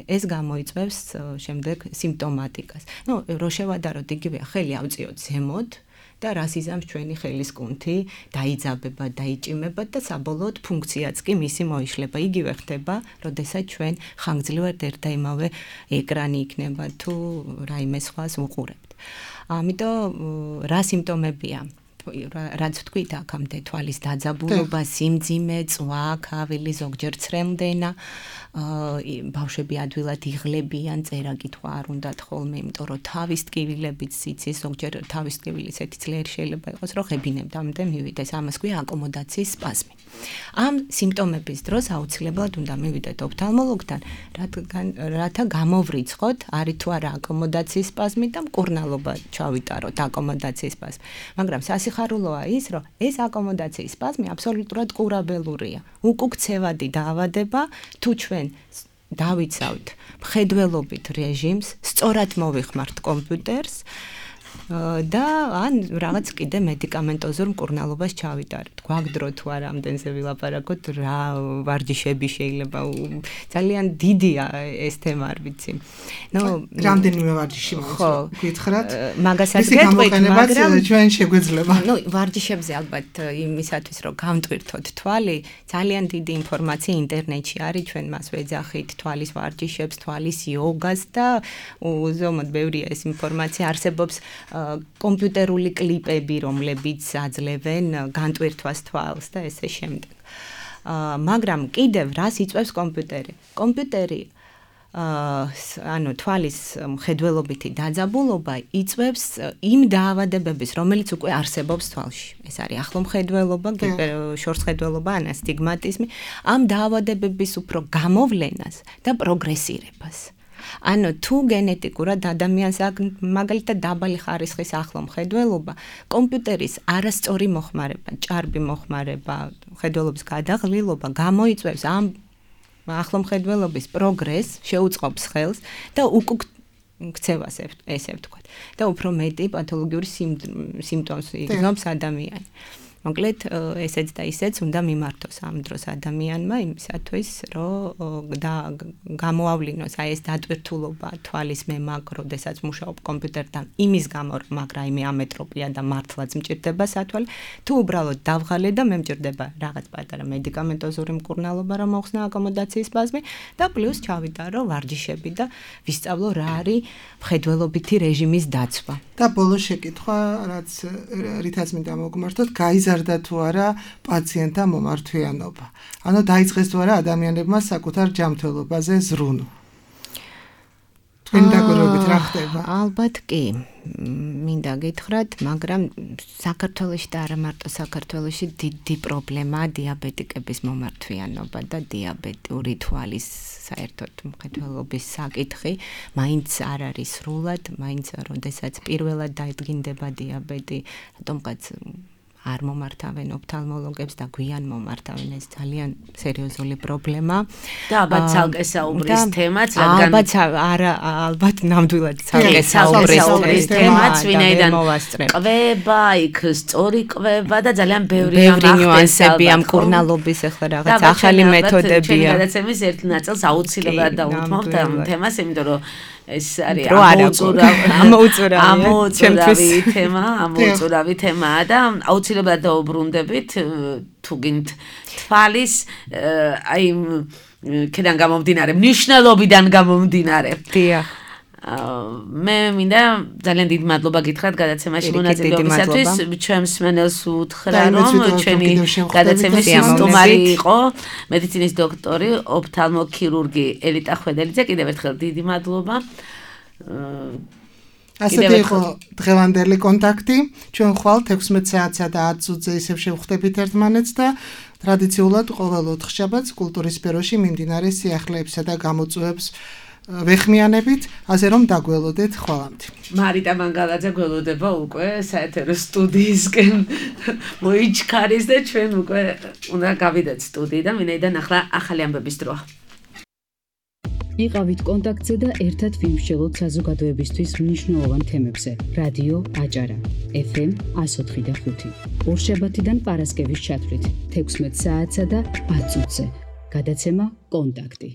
Speaker 10: ეს გამოიწვევს შემდეგ სიმპტომატიკას. ნუ რო შევადაროთ იგივე ხელი ავწიოთ ზემოთ და რას იზამს ჩვენი ხელის კუნთი, დაიძაბება, დაიჭიმება და საბოლოოდ ფუნქციაც კი მისი მოიშლება. იგივე ხდება, როდესაც ჩვენ ხანგრძლივად ერთ და იმავე ეკრანი იქნება თუ რაიმე სხვას ვუყურებთ. ამიტომ რა სიმპტომებია? რაც ვთქვით, აქამდე თვალის დაძაბულობა, სიმძიმე, წვა, ქავილი, ზოგჯერ ცრემლდენა, ბავშვები ადვილად იღლებიან, წერა კითხვა არ უნდათ ხოლმე, იმიტომ რომ თავის ტკივილებიც იცის, ზოგჯერ თავის ტკივილი ისეთი ძლიერი შეიძლება იყოს, რომ ღებინებთ, ამიტომ მივიდეს, ამას ქვია აკომოდაციის სპაზმი. ამ სიმპტომების დროს აუცილებლად უნდა მივიდეთ ოფთალმოლოგთან, რათა გამოვრიცხოთ, არის თუ არა აკომოდაციის სპაზმი და მკურნალობა ჩავიტაროთ აკომოდაციის სპაზმი. მაგრამ სასიხარულოა ის, რომ ეს აკომოდაციის სპაზმი აბსოლუტურად ყურაბელურია. უკუქცევადი დაავადება, თუ ჩვენ დავიცავთ მხედველობით რეჟიმს, სწორად მოვიხმართ კომპიუტერს და ან რაღაც კიდე მედიკამენტოზურ მკურნალობას ჩავიტარეთ. გვაგდრო თუ არა ამდენზე ვილაპარაკოთ, რა ვარჯიშები შეიძლება, ძალიან დიდია ეს თემა, არ ვიცი. ნუ
Speaker 3: რამდენიმე ვარჯიში გითხრათ?
Speaker 10: მაგასაც გეტყვით, მაგრამ
Speaker 3: ჩვენ შეგვეძლება.
Speaker 10: ნუ ვარჯიშებზე ალბათ იმისათვის, რომ გამტვირთოთ თვალი, ძალიან დიდი ინფორმაცია ინტერნეტში არის, ჩვენ მას ვეძახით თვალის ვარჯიშებს, თვალის იოგას და უზომოდ ბევრია ეს ინფორმაცია, არსებობს კომპიუტერული კლიპები, რომლებიც აძლევენ განტვირთვას თვალს და ესე შემდეგ. მაგრამ კიდევ რას იწვევს კომპიუტერი? კომპიუტერი ანუ თვალის მხედველობითი დაძაბულობა იწვევს იმ დაავადებების, რომელიც უკვე არსებობს თვალში. ეს არის ახლომხედველობა, შორსხედველობა, ან ასტიგმატიზმი, ამ დაავადებების უფრო გამოვლენას და პროგრესირებას. ანუ თუ გენეტიკურად ადამიანს აქვს მაგალითად დაბალი ხარისხის ახლომხედველობა, კომპიუტერის არასწორი მოხმარება, ჭარბი მოხმარება, ხედველობის გადაღლილობა გამოიწვევს ამ ახლომხედველობის პროგრესს, შეუწყობს ხელს და უკუქცევას ესე ვთქვათ. და უფრო მეტი პათოლოგიური სიმპტომს იგნობს ადამიანი. მოკლედ ესეც და ისეც უნდა მიმართოს ამ დროს ადამიანმა იმისათვის, რომ გამოავლინოს აი ეს დატვირთულობა თვალის მემაგ, როდესაც მუშაობ კომპიუტერთან, იმის გამო, რომ მაგრა იმე ამეტროპია და მართლაც მჭირდება სათვალე, თუ უბრალოდ დავღალე და მე მჭირდება რაღაც პატარა მედიკამენტოზური მკურნალობა, რომ მოხსნა აკომოდაციის სპაზმი და პლუს ჩავიტარო ვარჯიშები და ვისწავლო რა არის მხედველობითი რეჟიმის დაცვა.
Speaker 3: და ბოლო შეკითხვა, რაც რითაც მინდა მოგმართოთ, გაიზარდა თუ არა პაციენტთა მომართვიანობა. ანუ დაიწყეს თუ არა ადამიანებმა საკუთარ ჯანმრთელობაზე ზრუნვა. თქვენი დაკვირვებით რა ხდება?
Speaker 10: ალბათ კი. მინდა გითხრათ, მაგრამ საქართველოში და არა მარტო საქართველოში დიდი პრობლემაა დიაბეტიკების მომართვიანობა და დიაბეტური თვალის საერთოდ მხედველობის საკითხი, მაინც არ არის სრულად, მაინც როდესაც პირველად დაიდგინდება დიაბეტი, რატომღაც არ მომართავენ ოფთალმოლოგებს და გვიან მომართავენ, ეს ძალიან სერიოზული პრობლემა.
Speaker 2: და ალბათ ცალკე საუბრის თემაც, რადგან
Speaker 10: ალბათ არა, ალბათ ნამდვილად ცალკე საუბრის თემაც, ვინაიდან ყვება, იქ სწორი ყვება და ძალიან ბევრი ნიუანსები ამ კურნალობის ახლა რაღაც ახალი მეთოდებია.
Speaker 2: გადაცემის ერთ ნაწილს აუცილებლად დაუთმობთ ამ თემას, იმიტომ რომ ეს არის ამოუწურავი ამოუწურავი თემა, ამოუწურავი თემაა და აუცილებლად დაუბრუნდებით თუ გინდ თვალის აი ქედან გამომდინარე, მნიშვნელობიდან გამომდინარე.
Speaker 10: დიახ.
Speaker 2: მე მინდა ძალიან დიდი მადლობა გითხრათ გადაცემაში მონაწილეობისათვის. ჩემს მენელს უთხრა, რომ ჩვენი გადაცემის სტუმარი იყო მედიცინის დოქტორი, ოფთალმოქირურგი ელიტა ხვედელიძე. კიდევ ერთხელ დიდი მადლობა.
Speaker 3: ასეთი იყო დღევანდელი კონტაქტი. ჩვენ ხვალ ექვსმეტ საათსა და ათ წუთზე ისევ შევხვდებით ერთმანეთს და ტრადიციულად ყოველ ოთხშაბათს კულტურის სფეროში მიმდინარე სიახლეებსა და გამოწვევებს ვეხმიანებით, ასე რომ დაგველოდეთ ხვალამდე.
Speaker 2: მარიტა მანგალაძე გველოდება უკვე საეთერო სტუდიისკენ მოიჩქარის და ჩვენ უკვე უნდა გავიდეთ სტუდიიდან, ვინაიდან ახლა ახალი ამბების დროა.
Speaker 1: იყავით კონტაქტზე და ერთად ვიმსჯელოთ საზოგადოებისთვის მნიშვნელოვან თემებზე. რადიო აჭარა, ეფ ემ εκατო ოთხი და ხუთი. ორშაბათიდან პარასკევის ჩათვლით, ექვსმეტ საათსა და ათ წუთზე. გადაცემა კონტაქტი.